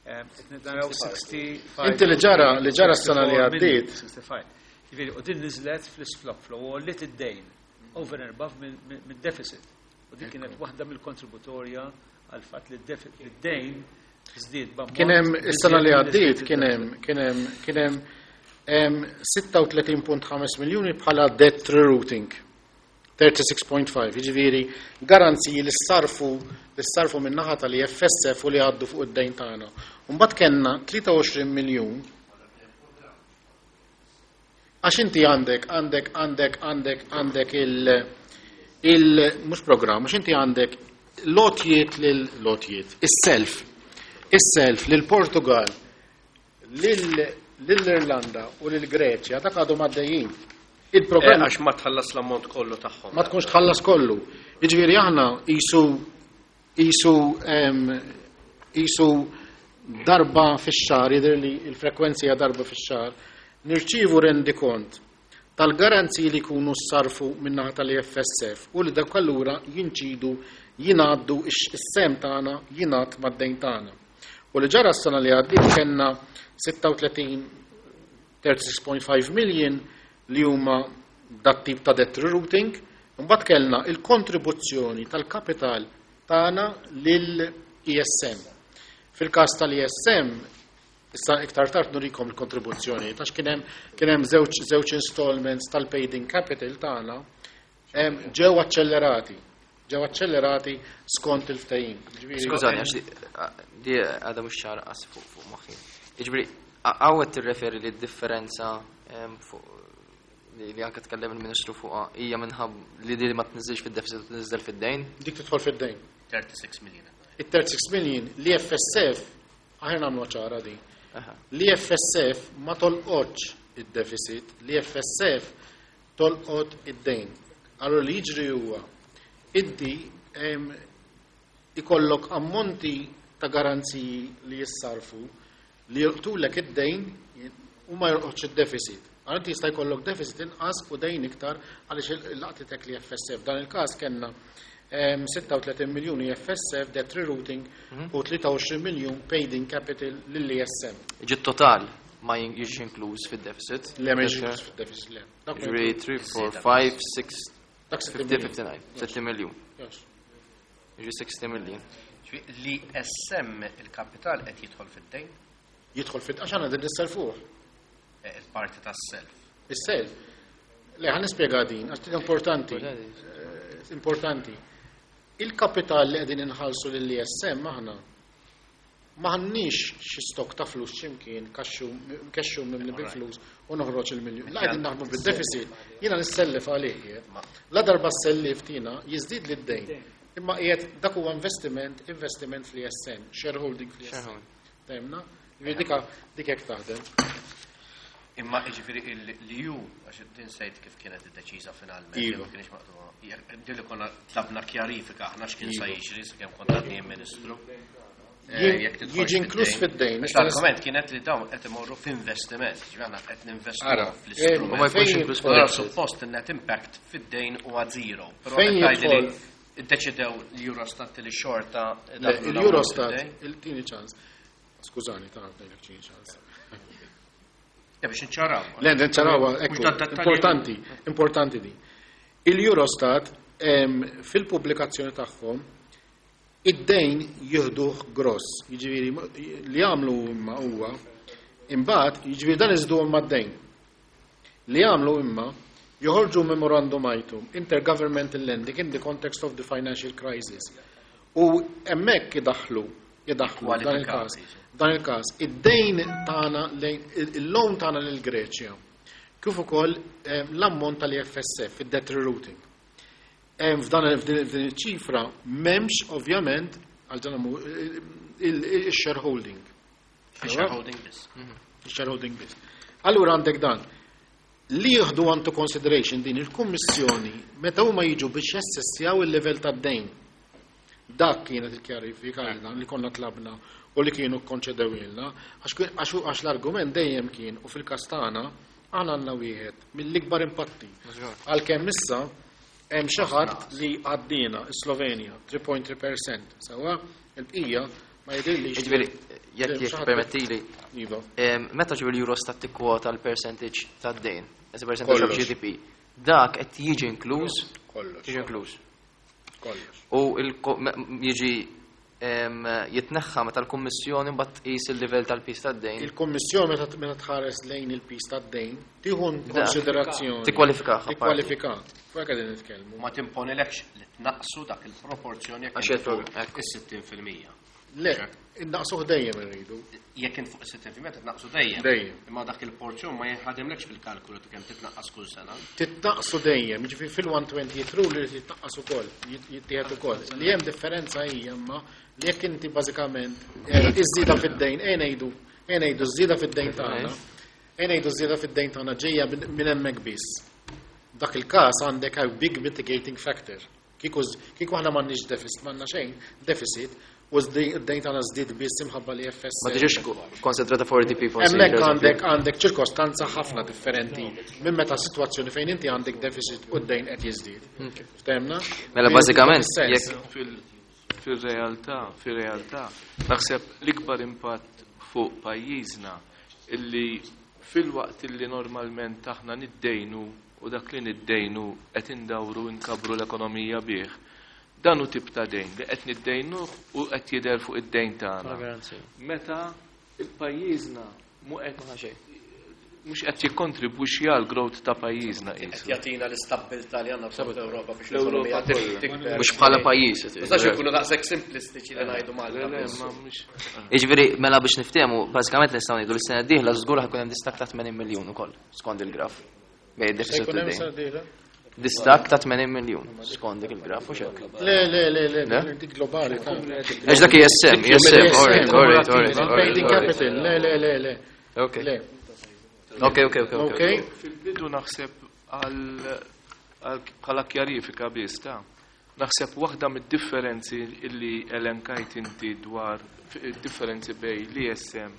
S4: qed naraw 65.
S3: Inti li ġara s-sena li għaddiet.
S4: 65. Ġifieri u din niżlet fl-stock flow u li id-dejn over and above mid-deficit. U din kienet waħda mill-kontributorja għal fatt li d-dejn żdied b'ammont.
S3: Kien hemm is-sena li għaddiet kien hemm 36.5 miljuni bħala debt rerouting. 36.5, jiġifieri garanziji li sarfu min-naħa tal-EFSF u li għaddu fuq id-dejn tagħna. Mbagħad kellna 23 miljun għax inti għandek il mhux programm, għax inti għandek lotjiet lil lotjiet, is-self lil Portugal, lill-Irlanda u lil Greċja, dak għadhom għaddejjin. Il-programm
S2: Għax ma tħallas l-ammont kollu tagħhom.
S3: Ma tkunx tħallas kollu. Jiġifieri aħna qisu darba fix-xahar, jidher li l-frekwenzi hija darba fix-xahar, nirċievu rendikont tal-garanziji li jkunu sarfu min-naħa tal-EFSF u li dak allura jinċidu jingħaddu is-sehem tagħna jingħad mad-dejn tagħna. U li ġara s-sena li għaddiet kellna 36 36.5 million li huma dat tip ta' debt rerouting, mbagħad kellna il-kontribuzzjoni tal-kapital tagħna lill-ESM. Fil-każ tal-ESM, issa iktar tard nurikom il-kontribuzzjoni, għax kien hemm żewġ installments tal-paid in capital tagħna ġew aċċellerati. Ġew aċċellerati skont il-ftehim. Ġifieri-
S1: Skużani, għax di għadha mhux ċara qas fuq moħħi. Jiġifieri, hawn tirreferi li d-differenza fuq li anke tkellem il-Ministru fuqha hija minħabba li di ma tniżilx fid-deficit u tniżel fid-dejn.
S3: Dik tidħol fid-dejn.
S2: 36 million.
S3: Il-36 million li FSF, aħna nagħmlu ċara din. Li FSF ma tolqotx id-deficit, li FSF tolqot id-dejn. Allora li jiġri huwa inti ikollok ammonti ta' garanziji li jissarfu li jolqtulek id-dejn u ma jolqotx id-deficit. Allora inti jista' jkollok deficit inqas u dejn iktar għaliex laqtitek li FSF. Dan il-każ kellna 36 miljuni FSF debt rerouting u 23 miljun paid in capital lill-ESM.
S1: Ġi total ma jiġix inkluż fid-deficit.
S3: Le, ma jiġix inkluż fid-deficit, le. Dak ma
S1: Ġifieri 3, 4, 5, 6,
S3: Dak 60
S1: 50,
S3: miljun.
S1: 59, 60 miljun.
S3: Yes.
S1: Ġifieri 60 miljun.
S2: Ġifieri, Li SM il-kapital qed jidħol fid-dejn,
S3: Jidħol fid għax għandna din nisselfuh.
S2: Il-parti tas-self.
S3: Is-self. Le, ħa nispjega din, għax din importanti. Importanti. Il-kapital li qegħdin inħallsu lill-ESM aħna m'għandniex xi stok ta' flus x'imkien kexxu mimli bil-flus u noħroġ il-miljun. La qegħdin naħdmu bid-deficit, jiena nissellef għalih qiegħed. La darba sellif tina jiżdied lid-dejn. Imma qiegħed dak huwa investiment fl-ESM, shareholding fl-ESM.
S1: Shareholding.
S3: Fhimna? Ġifieri dik hekk taħdem.
S2: Imma ġifieri l-EU, għax din sejt kif kienet id-deċiża finalment,
S3: Iva.
S2: jew ma kienx maqtugħa. Din li konna tlabna kjarifika aħna x'kien sa jiġri sakemm kont għadni ministru. Jekk tidħolx
S3: Jiġi inkluż fid-dejn.
S2: Għax L-argument kienet li dawn qed imorru f'investiment, ġifieri aħna qed ninvestu
S3: Ara,
S2: fl-istrument.
S1: U ma jkunx
S3: fejn
S1: inkluż
S3: jidħol-
S2: Allora
S1: fid-deficit.
S2: suppost il-net impact fid-dejn huwa zero. Però
S3: Fejn
S2: qed tgħidli li
S3: jidħol-
S2: iddeċidew l-Eurostat li xorta
S3: Le,
S2: daħlu l-ammont
S3: Il-Eurostat,
S2: fid-dejn.
S3: il-tini ċans. Skużani, ta' ngħidlek tini ċans.
S2: Ja, biex nċaraw.
S3: Le, nċarawa,
S2: Mhux
S3: ekku,
S2: dat dettalji-
S3: importanti, importanti di. Il-Eurostat, fil-pubblikazzjoni tagħhom, id-dejn jieħduh gross, jiġifieri li jagħmlu imma huwa, imbagħad jiġifieri dan iżduhom mad-dejn. Li jagħmlu imma joħorġu memorandum item intergovernmental lending in the context of the financial crisis. U hemmhekk idaħħlu dan il-każ.
S2: Kwalifikati.
S3: Dan il-każ, id-dejn tagħna lejn il-loan tagħna lil Greċja. Kif ukoll l-ammont tal-EFSF, id-debt rerouting. F'dan f'din iċ-ċifra m'hemmx ovvjament għal dan il-shareholding.
S2: Shareholding biss.
S3: Shareholding biss. Allura għandek dan. Li jieħdu into consideration din il-Kummissjoni meta huma jiġu biex jassessjaw il-level tad-dejn. Dak kienet il-kjarifika li konna tlabna u li kienu konċedewilna, għax l-argument dejjem kien u fil-każ tagħna aħna għandna wieħed mill-ikbar impatti. Għalkemm issa hemm xi ħadd li għaddina Slovenja 3.3%, sewwa il-bqija ma jidhirlix.
S1: Jiġifieri, jekk permettili,
S3: Iva.
S1: Meta ġifieri Eurostat tikkwota l-percentage tad-dejn, as a percentage of GDP, dak qed jiġi inkluż?
S3: Kollox.
S1: Jiġi inkluż.
S3: Kollox.
S1: U jiġi jitneħħa meta l-Kummissjoni mbagħad tqis il-livell tal-piż tad-dejn.
S3: Il-Kummissjoni meta tħares lejn il-piż tad-dejn tieħu konsiderazzjoni.
S1: Tikkwalifika.
S3: Tikkwalifika. Fuq qegħdin nitkellmu.
S2: Ma timponilekx li tnaqqsu dak il-proporzjon jekk
S1: Għax
S2: fuq is-60%.
S3: Le, innaqsuh dejjem irridu.
S2: Jekk int fuq is-60% titnaqqsu dejjem.
S3: Dejjem.
S2: Imma dak il-porzjon ma jinħademlekx fil-kalkulu ta' kemm titnaqqas kull sena.
S3: Titnaqqsu dejjem, jiġifieri fil-120 rule li titnaqqas ukoll, jittieħed ukoll. Li hemm differenza hija imma li jekk inti bażikament iż-żieda fid-dejn, ejja ngħidu ż-żieda fid-dejn tagħna, ejja ngħidu ż-żieda fid-dejn tagħna ġejja minn hemmhekk biss. Dak il-każ għandek a big mitigating factor. Kieku aħna m'għandniex deficit, m'għandna xejn deficit, u d-dejn tagħna żdied biss imħabba li FS.
S1: Ma tiġix konsentrata for DP forsi.
S3: Hemmhekk għandek ċirkostanza ħafna differenti minn meta sitwazzjoni fejn inti għandek deficit u d-dejn qed jiżdied. Ftemna?
S1: Mela bażikament jekk
S5: fil-realtà, naħseb l-ikbar impatt fuq pajjiżna illi fil-waqt illi normalment aħna niddejnu u dak li niddejnu qed indawru nkabru l-ekonomija bih. Dan hu tip ta' dejn li qed niddejnuh u qed jidher fuq id-dejn tagħna. Meta il-pajjiżna mhux qed jikkontribwixxi għal growth ta' pajjiżna
S2: Qed
S5: qisu.
S2: jagħtina l-istabbiltà li għandna bżonn fl-Ewropa biex
S5: L-Ewropa
S2: l-ekonomija
S5: kollha.
S2: tikber.
S1: Mhux bħala pajjiż.
S2: Nistax ikunu daqshekk simplistiċi li ngħidu Malta.
S5: Le, le,
S2: biss.
S5: ma mhux.
S1: Jiġifieri mela biex niftehmu, bażikament nistgħu ngħidu li s-sena d-dieħla żgur ħa jkun hemm distakk ta' 80 miljun ukoll skont il-graf. Bejn id-deficit u
S3: Jkun hemm
S1: d-dejn.
S3: sena d-dieħla?
S1: Distakk ta' 80 miljun skont dik il-graf u xek.
S3: Le, le, le, le,
S1: Le?
S3: dik globali. ta'
S1: Għax dak ISM, ISM, alright, alright, alright,
S3: Paid in
S1: alright.
S3: capital, le, le, le, le.
S1: Ok.
S3: Le.
S1: Ok.
S3: Ok.
S5: Fil-bidu naħseb bħala kjarifika biss ta' naħseb waħda mid-differenzi illi elenkajt inti dwar differenzi bej l-ISM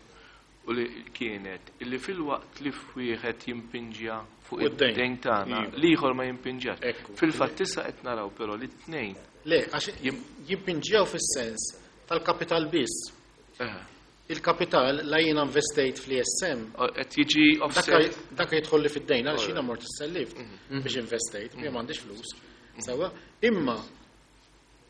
S5: u li kienet illi fil-waqt li wieħed jimpinġja fuq
S3: U d-dejn.
S5: id-dejn tagħna,
S3: Iva.
S5: l-ieħor ma jimpinġjax.
S3: Ekku.
S5: Fil-fatt issa qed naraw però li t-tnejn.
S3: Le, għax jimpinġjaw fis-sens tal-kapital biss. Il-kapital la jiena investejt fl-ISM.
S5: Qed jiġi offset.
S3: Dak jidħol li fid-dejn għaliex jiena mort issellift biex investejt, jien m'għandix flus. Sewwa, imma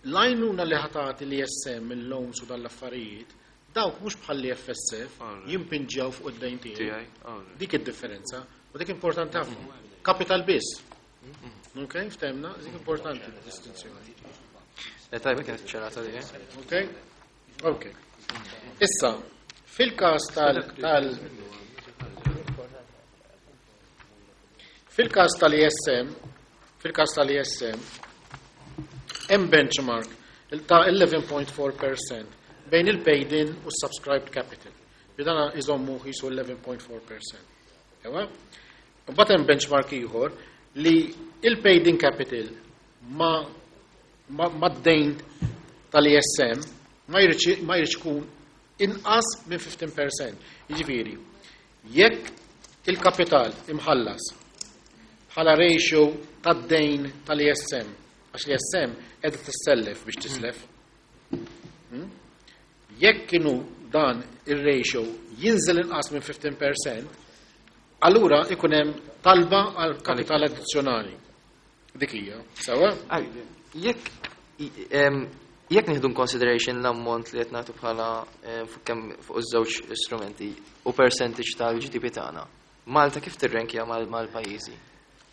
S3: l-għajnuna li ħatati l-ISM, il-loans u dal-affarijiet, dawk mhux bħal FSF jimpinġjaw fuq id-dejn tiegħi.
S5: Tiegħi, alright.
S3: Dik id-differenza, u dik importanti ħafna. Kapital biss. Ok, ftemna, dik importanti d-distinzjoni.
S1: Tajba kienet ċerata di.
S3: Ok? Ok. Issa, fil-każ tal, tal fil-każ tal-ISM, fil-każ tal-ISM, hemm benchmark ta' 11.4% bejn il-paid in u subscribed capital. Bidana iżommu jisu 11.4%. Ewa? Mbagħad hemm benchmark ieħor li il-paid in capital ma d-dejn tal-ISM ma jridx ikun inqas minn 15%. Jiġifieri, jekk il-kapital imħallas bħala ratio tad-dejn tal-ISM, għax l-ISM qiegħda tissellef biex tislef. Jekk kienu dan ir-ratio jinżel inqas minn 15%, allura ikun hemm talba għal kapital addizzjonali. Dik hija, sewwa?
S1: Jekk nieħdu consideration l-ammont li qed nagħtu bħala fuq kemm fuq iż-żewġ istrumenti u percentage tal-GDP tagħna, Malta kif tirrenkja mal-pajjiżi?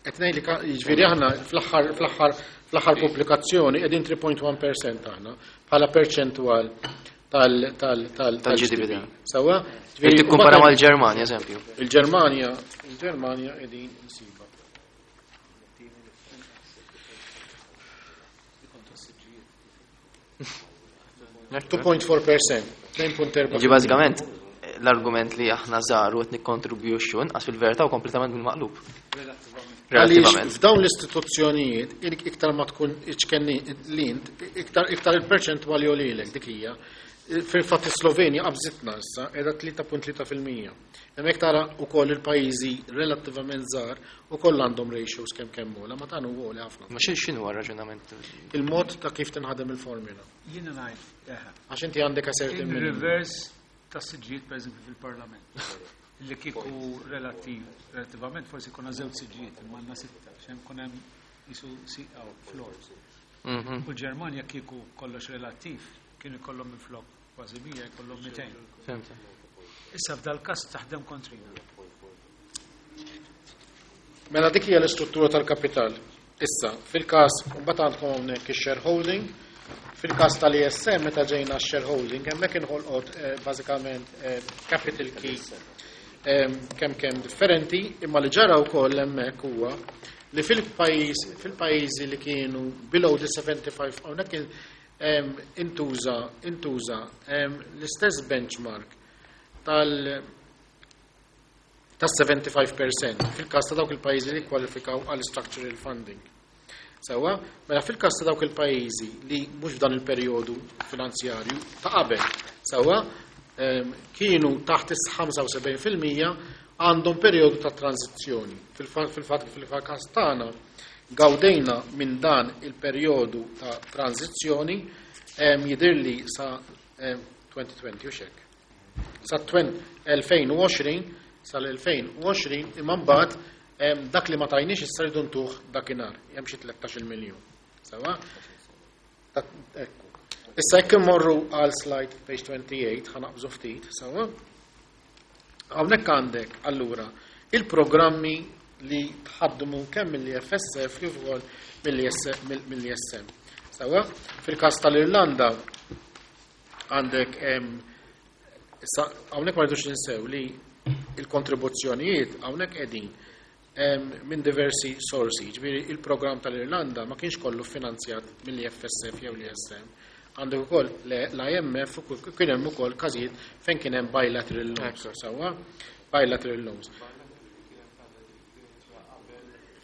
S3: Qed ngħidlek, jiġifieri aħna fl-aħħar pubblikazzjoni qegħdin 3.1% aħna bħala perċentwal tal-GDP. Sewwa?
S1: Ġifieri tikkumpara mal-Ġermanja, eżempju.
S3: Il-Ġermanja, il-Ġermanja qegħdin insiba. 2.4%, 2.4.
S1: Ġi bażikament l-argument li aħna żgħar u qed nikkontribwixxu inqas fil-verità u kompletament bil-maqlub.
S3: Għaliex f'dawn l-istituzzjonijiet iktar ma tkun iċkenni l-int, iktar iktar il-perċentwali jogħlilek dik hija. Fil-fatt is-Slovenja qabżitna issa qiegħda 3.3%. Hemmhekk tara wkoll il-pajjiżi relattivament żgħar ukoll għandhom ratios kemm kemm ogħla, ma dan huwa għoli ħafna.
S1: Ma x'inhu r-raġunament?
S3: Il-mod ta' kif tinħadem il-formula.
S4: Jiena ngħid, eħe.
S3: Għax inti għandek a certain
S4: In reverse ta' siġġijiet pereżempju fil-Parlament. Li kieku relattiv, relattivament forsi konna żewġ siġġijiet imma għandna sitta, x'hemm kun hemm jisu siqaw floor. U l-Ġermanja kieku kollox relattiv, kienu jkollhom minflok kważi 100 jkollhom 200.
S1: Fhimt.
S4: Issa f'dal-każ taħdem kontrina.
S3: Mela dik hija l-istruttura tal-kapital. Issa, fil-każ, mbagħad għandkom hawnhekk ix-shareholding. Fil-każ tal-ISM meta ġejna x-shareholding, hemmhekk inħolqot bażikament capital key kemm kemm differenti, imma li ġara wkoll hemmhekk huwa li fil-pajjiż fil-pajjiżi li kienu below the 75 hawnhekk intuża intuża l-istess benchmark tal ta' 75% fil-każ ta' dawk il-pajjiżi li kwalifikaw għal structural funding. Sewwa, mela fil-każ ta' dawk il-pajjiżi li mhux f'dan il-perjodu finanzjarju ta' qabel, sewwa, kienu taħt is-75% għandhom perjodu ta' tranzizzjoni. Fil-fatt fil-każ tagħna gawdejna minn dan il-perjodu ta' tranzizzjoni jidhirli sa 2020 u xek. Sa 2020 sal-2020 imma mbagħad dak li ma tajniex issa rridu ntuh dakinhar, hemm xi 13 miljun. Sewwa? Ekku. Issa jekk immorru għal slide page 28 ħa naqbżu ftit, sewwa? Hawnhekk għandek allura il-programmi li tħaddmu kemm mill-FSF kif ukoll mill-ISM. Sewwa? Fil-każ tal-Irlanda għandek issa hawnhekk ma rridux ninsew li il-kontribuzzjonijiet hawnhekk qegħdin minn diversi sorsi. Ġifieri il-programm tal-Irlanda ma kienx kollu finanzjat mill-FSF jew l-ISM. Għandek ukoll l-IMF u kien hemm ukoll każijiet fejn kien hemm bilateral loans. Sewwa? Bilateral loans.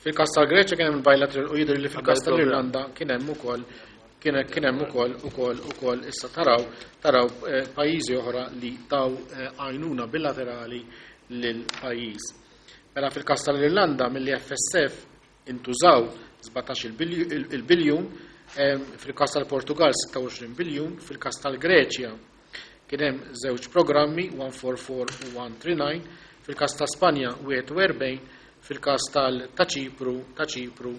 S3: Fil-każ tal-Greċja kien hemm bilateral u jidher li fil-każ tal-Irlanda kien hemm ukoll kien hemm ukoll ukoll ukoll issa taraw taraw pajjiżi oħra li taw għajnuna bilaterali lil pajjiż. Mela fil-każ tal-Irlanda mill-FSF intużaw 17 il-biljun, fil-każ tal-Portugal 26 biljun, fil-każ tal-Greċja kien hemm żewġ programmi 144 u 139, fil-każ ta' Spanja 41, fil-każ ta' Ċipru ta' Ċipru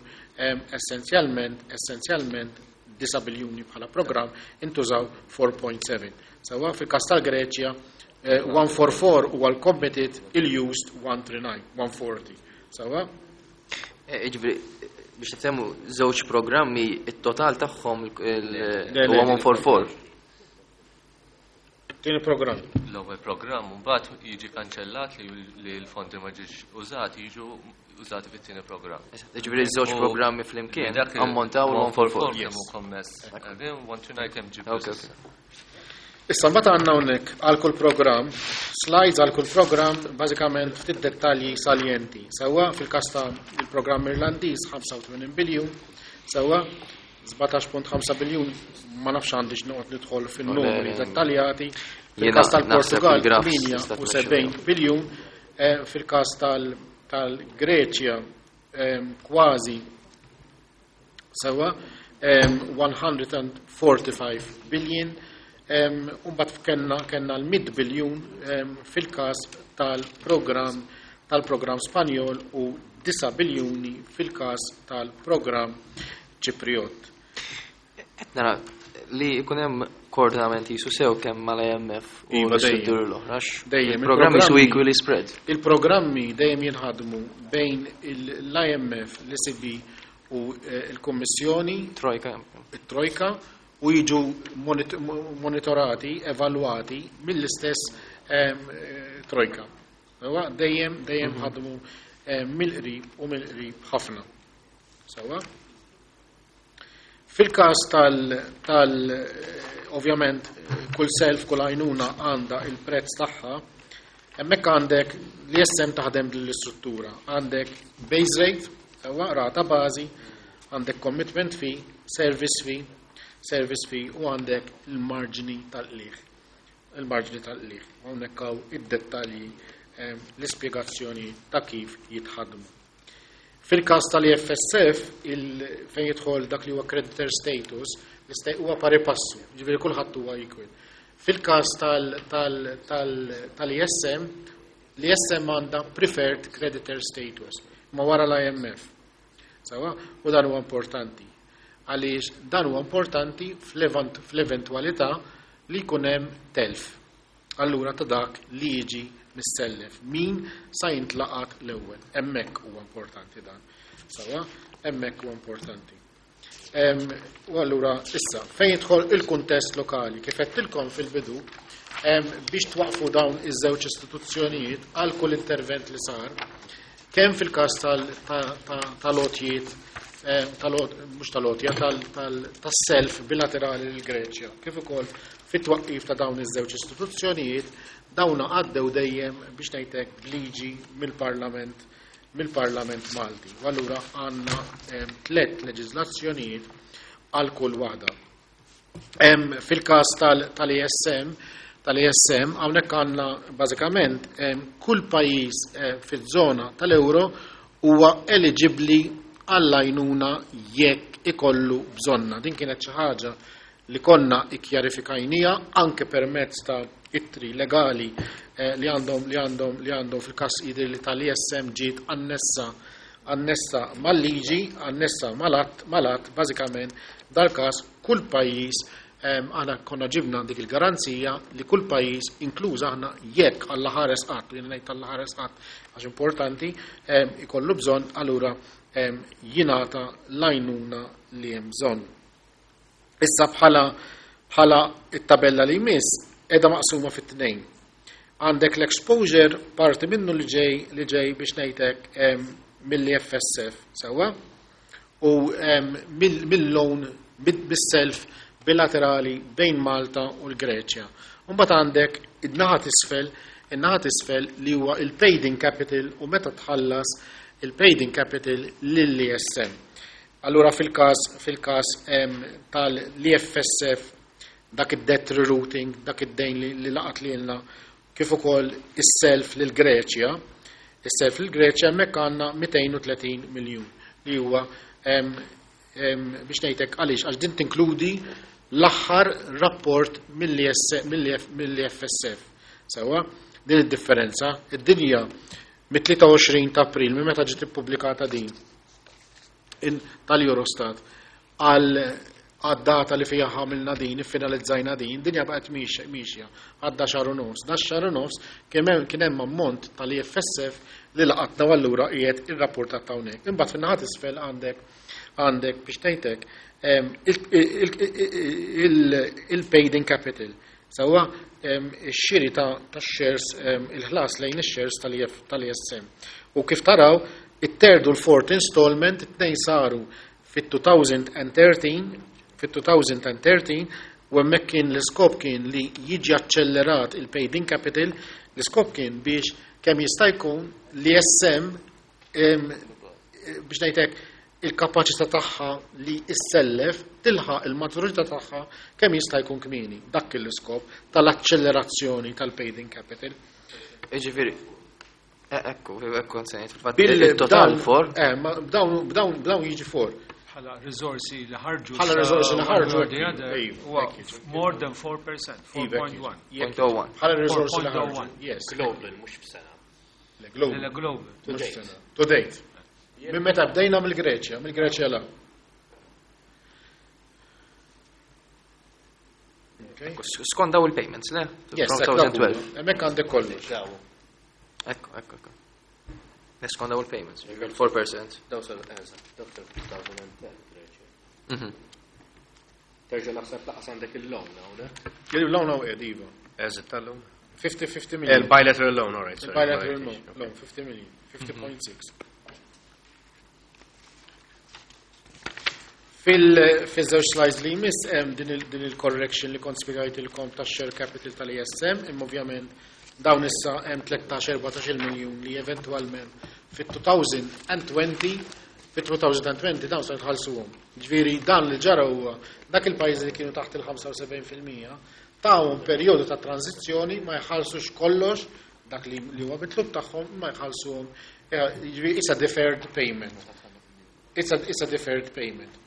S3: essenzjalment essenzjalment 9 biljuni bħala programm intużaw 4.7. Sewwa fil-każ tal-Greċja 144 huwa l-committed il-used 139, 140. Sewwa?
S1: Ġifieri biex niftehmu żewġ programmi it-total tagħhom huwa 144.
S3: Tieni programm.
S5: L-ewwel programm mbagħad jiġi kanċellat li l-fondi ma ġiex użati jiġu użati fit-tieni programm.
S1: Ġifieri żewġ programmi flimkien ammontaw
S5: l-144. Kemm hu kommess. 129 kemm ġie.
S3: Issa mbagħad għandna hawnhekk għal kull programm, slides għal kull programm, bażikament ftit dettalji saljenti. Sewwa fil-każ ta' il-programm Irlandiż 85 biljun, sewwa 17.5 biljun ma nafx għandix noqgħod nidħol fin-numri dettaljati. Fil-każ tal-Portugal 78 biljun, fil-każ tal-Greċja kważi sewwa 145 billion, Umbat kellna kellna l-100 biljun fil-każ tal-programm tal-programm Spanjol u 9 biljuni fil-każ tal-programm Ċipriot.
S1: Qed nara li jkun hemm koordinament jisu sew kemm mal-IMF u
S3: Iva, dejjem.
S1: l-istrutturi l-oħra. għax
S3: Dejjem,
S1: Il-programmi su
S3: il-programmi-
S1: equally spread.
S3: Il-programmi dejjem jinħadmu bejn l-IMF, l-ECB u l-Kummissjoni,
S1: Trojka.
S3: it-Trojka. u jiġu monitorati, evalwati mill-istess trojka. Sewwa, dejjem dejjem ħadmu mill-qrib u mill-qrib ħafna. Sewwa? Fil-każ tal, tal ovvjament kull self, kull għajnuna għandha il-prezz tagħha, hemmhekk għandek l-ISM taħdem din l-istruttura. Għandek base rate, sewwa, rata bażi, għandek commitment fee, service fee, service fee u għandek il-marġni tal-qligħ. Il-marġni tal-qligħ. Hawnhekk hawn id-dettalji, l-ispjegazzjoni ta' kif jitħadmu. Fil-każ tal-EFSF, fejn jidħol dak li huwa creditor status, huwa pari passu, ġifieri kulħadd huwa equal. Fil-każ tal-ESM, l-ESM għandha preferred creditor status, ma wara l-IMF. Sewwa, u dan huwa importanti. Għaliex dan huwa importanti fl-eventwalità li jkun hemm telf. Allura ta' dak li jiġi missellef. Min sa jintlaqat l-ewwel. Hemmhekk huwa importanti dan. Sewwa, hemmhekk huwa importanti. U allura issa, fejn jidħol il-kuntest lokali, kif għedtilkom fil-bidu, biex twaqfu dawn iż-żewġ istituzzjonijiet għal kull intervent li sar, kemm fil-każ tal-għotjiet, mhux tal-għotja, tas-self bilaterali lill-Greċja, kif ukoll fit-twaqqif ta' dawn iż-żewġ istituzzjonijiet, dawna għaddew dejjem biex ngħidlek b'liġi mill-Parlament Malti. U allura għandna tliet leġiżlazzjonijiet għal kull waħda. Fil-każ tal-ESM, tal-ESM, hawnhekk għandna bażikament kull pajjiż fiż-żona tal-euro huwa eligibbli għall-għajnuna jekk ikollu bżonna. Din kienet xi ħaġa li konna ikkjarifikajnija anke permezz ta' ittri legali li għandhom fil-każ jidher li tal-ESM ġiet annessa mal-liġi, annessa mal-att. Bażikament dal-każ kull pajjiż, aħna konna ġibna dik il-garanzija li kull pajjiż, inkluż aħna, jekk Alla ħares qatt, u jiena ngħid Alla ħares qatt għax importanti, ikollu bżonn, allura jingħata l-għajnuna li hemm bżonn. Issa bħala it-tabella li jmiss edha maqsuma fit-tnejn. Għandek l-exposure, parti minnu li ġej biex ngħidlek mill-FSF, sewwa, u mill-loan, bis-self bilaterali bejn Malta u l-Greċja. Mbagħad għandek in-naħa t'isfel li huwa il-paid in capital u meta tħallas il-paid in capital lill-ESM. Allura fil-każ tal-EFSF, dak id-debt rerouting, dak id-dejn li laqat lilna, kif ukoll is-self lil Greċja, is-self lil Greċja, hemmhekk għandna 230 miljun li huwa biex ngħidlek għaliex, għax din tinkludi l-aħħar rapport mill-FSF. Sewwa, din id-differenza, id-dinja mit-23 ta' April, minn meta ġiet ippubblikata din tal-Eurostat għal għad-data li fija għamilna din, finalizzajna din, dinja baqgħet miexja, għadda xahar u nofs. Da xahar u nofs kien hemm ammont tal-IFSF li laqatna u allura qiegħed irrapportat hawnhekk. Imbagħad fin-naħa t'isfel għandek biex ngħidlek il-paid in capital. Sewwa, ix-xiri ta' shares, il-ħlas lejn ix-shares tal-ESM. U kif taraw, it-third u l-fourth installment, it-tnejn saru fit-2013, fit-2013, u hemmhekk kien l-iskop kien li jiġi accellerat il-paid in capital, l-iskop kien biex kemm jista' jkun l-ESM biex ngħidlek il-kapaċità tagħha li issellef tilħaq il-maturità tagħha kemm jista' jkun kmieni. Dak kien l-iskop tal-accelerazzjoni tal-paid in capital.
S1: Iġifieri, ekku, nsejt, fil-fatt, il-total 4.
S3: Ma b'dawn jiġi 4.
S4: Bħala risorsi li ħarġu.
S3: Bħala risorsi li ħarġu,
S4: Huwa more than 4%, 4.1.
S1: Point oh one.
S3: Bħala risorsi li ħarġu.
S4: 4.01.
S3: Yes.
S2: Global, mhux f'sena.
S3: Le, global.
S4: Le, global.
S2: To
S3: Mhux
S2: date.
S3: sena. To date. Minn meta bdejna mill-Greċja, mill-Greċja la. Okay.
S1: Skont daw il-payments, le?
S3: Yes,
S1: From
S3: hekk
S1: 2012.
S3: Hemmhekk għandek kollox.
S2: Daw.
S1: Ekku. Skont daw il-payments, 4%.
S2: Daw sal, eżatt, daw sal 2010 Greċja. Terġa' naħseb laqas għandek il-loan hawnhekk.
S3: Il-loan hawn qiegħed iva.
S2: Eżitt tal-loan.
S3: 50 million.
S2: Il-bilateral loan, all right. sorry.
S3: Il-bilateral loan, 50 million, 50.6. Fil-żewġ slides li jmiss hemm din il-correction li kont spjegajtilkom tax-share capital tal-ESM, imma ovvjament dawn issa hemm 13-14 miljun li eventwalment fit-2020 fit-2020 dawn se jitħallsuhom. Ġifieri dan li ġara huwa dak il-pajjiżi li kienu taħt il-75% tawhom perjodu ta' tranzizzjoni ma jħallsux kollox dak li huwa mitlub tagħhom ma jħallsuhom. Ġifieri it's a deferred payment. It's a deferred payment.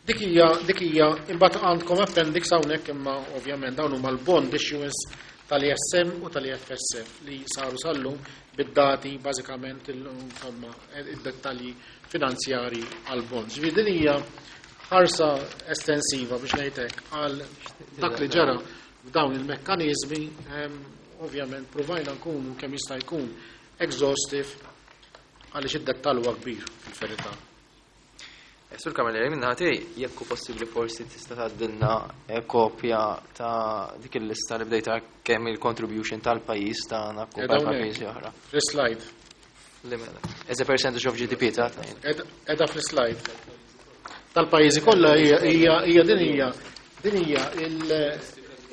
S3: Dik hija imbagħad għandkom appendix hawnhekk imma ovvjament dawn huma l-bond issuance tal-ISM u tal-IFSF li saru sallum bid-dati bażikament insomma id-dettalji finanzjari għal-bonds. Ġifieri din hija ħarsa estensiva biex ngħidlek għal dak li ġara f'dawn il-mekkaniżmi, ovvjament provajna nkunu kemm jista' jkun exhaustive għaliex id-dettall huwa kbir fil-verità.
S1: Sur Camilleri, minna ħati, jekk hu possibbli forsi tista' tgħaddilna kopja ta' dik il-lista li bdejta kemm il-contribution tal-pajjiż tagħna
S3: Qiegħda
S1: kumpat ma'
S3: hawnhekk.
S1: pajjiżi oħra.
S3: Fl-slide.
S1: Li mela. As a percentage of GDP ta' tnejn.
S3: Qiegħda fl-slide. Tal-pajjiżi kollha hija din hija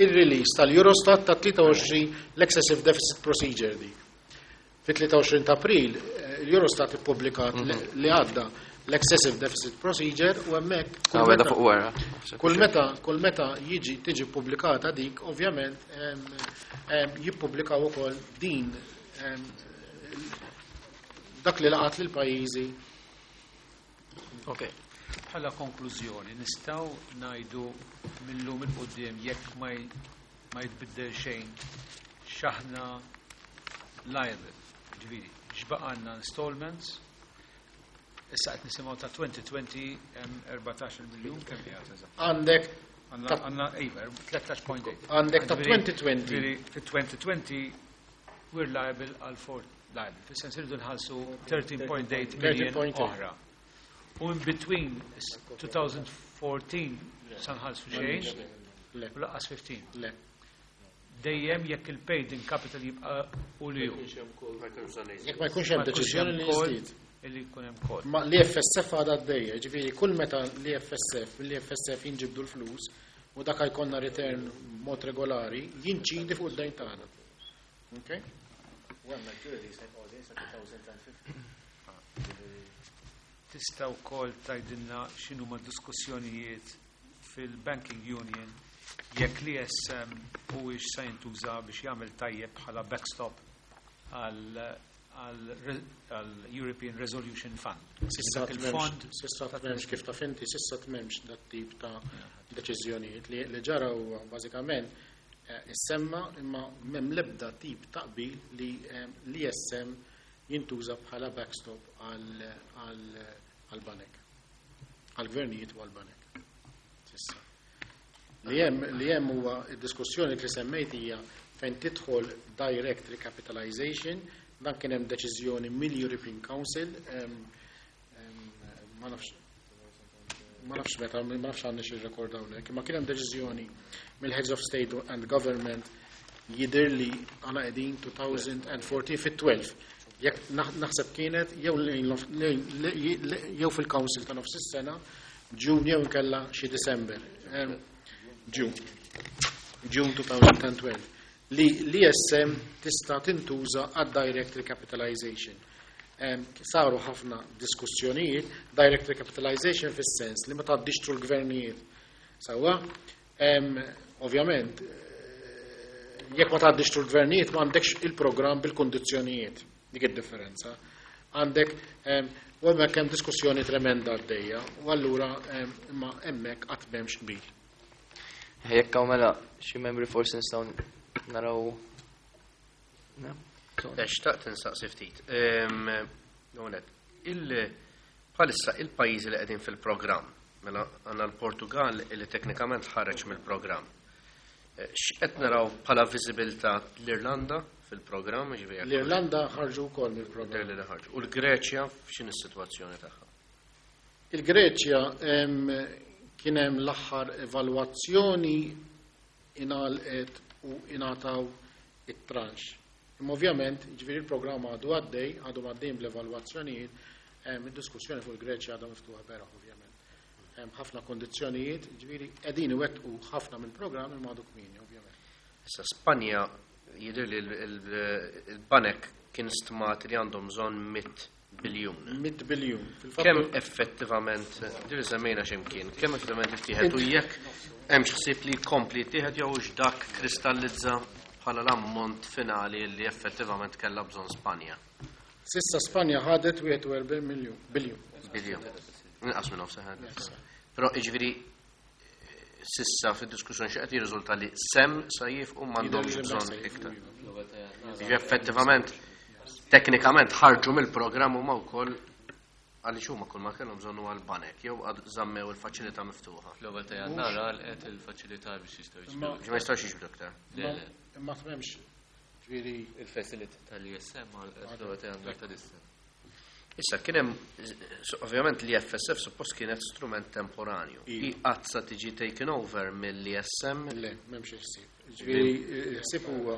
S3: il-release tal-Eurostat ta' 23 l-Excessive Deficit Procedure dik. Fit-23 ta' April l-Eurostat ippubblikat li għadda l-Excessive Deficit Procedure u hemmhekk kull
S1: Ah, weda
S3: meta
S1: fuq wara.
S3: kull meta jiġi tiġi pubblikata dik, ovvjament jippubblikaw ukoll din dak li laqat lil pajjiżi.
S1: Ok.
S4: Bħala konklużjoni, nistgħu ngħidu millum il quddiem jekk ma jitbiddel xejn x'aħna liable. Ġifieri, x'baqgħalna installments, issa qed nisimgħu ta' 2020 hemm 14 miljun kemm qiegħed eżatt.
S3: Għandek
S4: Għandna iva, 13.8.
S3: Għandek ta'
S4: Ġifieri,
S3: 2020.
S4: ġifieri, fit-2020 we're liable għal four liable. Fis-sens irridu nħallsu 13.8 million
S3: 13.8.
S4: oħra. U in between 2014 sa nħallsu xejn,
S3: Le.
S4: u lanqas 15.
S3: Le.
S4: Dejjem jekk il-paid in capital jibqa' u li hu.
S3: Jekk ma jkunx hemm
S4: Ma jkunx
S3: deċiżjoni
S4: hemm
S3: li
S4: call
S3: jiżdied.
S4: Illi jkun hemm call.
S3: Ma l-IFSF għadha għaddejja, ġifieri kull meta l-IFSF, l-IFSF jinġibdu l-flus u dak jkollna return mod regolari, jinċidi fuq id-dejn tagħna. Okay?
S4: Tista' wkoll tgħidilna x'inhuma diskussjonijiet fil-Banking Union jekk l-ISM huwiex se jintuża biex jagħmel tajjeb bħala backstop għal European Resolution Fund.
S3: Sissa
S4: Dak il-fond
S3: s'issa m'hemmx kif taf inti, s'issa m'hemmx dat tip ta' deċiżjonijiet li ġara huwa bażikament issemma imma m'hemm l-ebda tip ta' qbil li l-ISM jintuża bħala backstop għal banek. Għal-gvernijiet u għal-banek. Sissa. Li hemm huwa d-diskussjoni li semmejt hija fejn tidħol direct recapitalization, dan kien hemm deċiżjoni mill-European Council, ma nafx meta, ma nafx għandna xi rekord hawnhekk, imma kien hemm deċiżjoni mill-Heads of State and Government jidher li għana qegħdin 2014 fit-12. Jekk naħseb kienet jew fil-Council ta' nofs is-sena, June jew inkella xi December. June. June 2012. Li l-ISM tista' tintuża għad direct recapitalization. Saru ħafna diskussjonijiet, direct recapitalization fis-sens li ma tgħaddix through l-gvernijiet. Sewwa, ovvjament, jekk ma tgħaddix through l-gvernijiet ma għandekx il-programm bil-kondizzjonijiet. Dik id-differenza. Għandek, u hemmhekk hemm diskussjoni tremenda għaddejja, u allura imma hemmhekk qatt m'hemmx qbil.
S1: Jekk hawn mela xi membri forsi nistgħu naraw. Ne?
S2: Xtaqt insaqsi ftit. Għonet, bħalissa il-pajjiżi li qegħdin fil-programm, mela għandna l-Portugal li teknikament ħareġ mill-programm. X'qed naraw bħala viżibilità l-Irlanda fil-programm, ġifieri jekk
S3: L-Irlanda ħarġu wkoll mill-programm.
S2: Li ħarġu. U l-Greċja x'inhi s-sitwazzjoni tagħha?
S3: Il-Greċja Kien hemm l-aħħar evalwazzjoni ingħalqet u ingħataw it-tranche. Imma ovvjament, ġifieri il-programm għadu għaddej, għadu għaddejn bl-evalwazzjonijiet, id-diskussjoni fuq il-Greċja għadha miftuħa beraħ ovvjament. Hemm ħafna kondizzjonijiet, ġifieri qegħdin iwettqu ħafna mill-programm imma għadu kmieni ovvjament.
S2: Issa Spanja jidher li l-banek kien stmat li għandhom bżonn 100 biljun.
S3: 100 biljun.
S2: Kemm effettivament, ġifieri semmejna x'imkien, kemm effettivament ittieħed u jekk hemm ħsieb li jkompli jittieħed jew dak kristallizza bħala l-ammont finali li effettivament kellha bżonn Spanja.
S3: Sissa Spanja ħadet 41 miljun, biljun.
S2: Biljun. Inqas minn nofs ħadet. Però jiġifieri sissa fid-diskussjoni xi qed jirriżulta li sem sa jifqu m'għandhomx bżonn iktar. Jiġifieri effettivament teknikament ħarġu mill-programm huma wkoll għaliex huma kull ma kellhom bżonn huwa l-banek jew għad żammew il-faċilità miftuħa.
S5: Fl-ewwel ta' Jannar għalqet il-faċilità biex jistgħu jiġbdu.
S2: Ma jistgħux jiġbdu iktar.
S5: Le, le.
S3: Imma m'hemmx ġifieri
S5: Il-facility tal-ISM għalqet fl-ewwel ta' Jannar ta' dis-sena.
S2: Issa kien hemm ovvjament l-FSF suppost kienet strument temporanju.
S3: Iva.
S2: Qatt sa tiġi taken over mill-ISM.
S3: Le, m'hemmx ħsieb. Ġifieri ħsieb huwa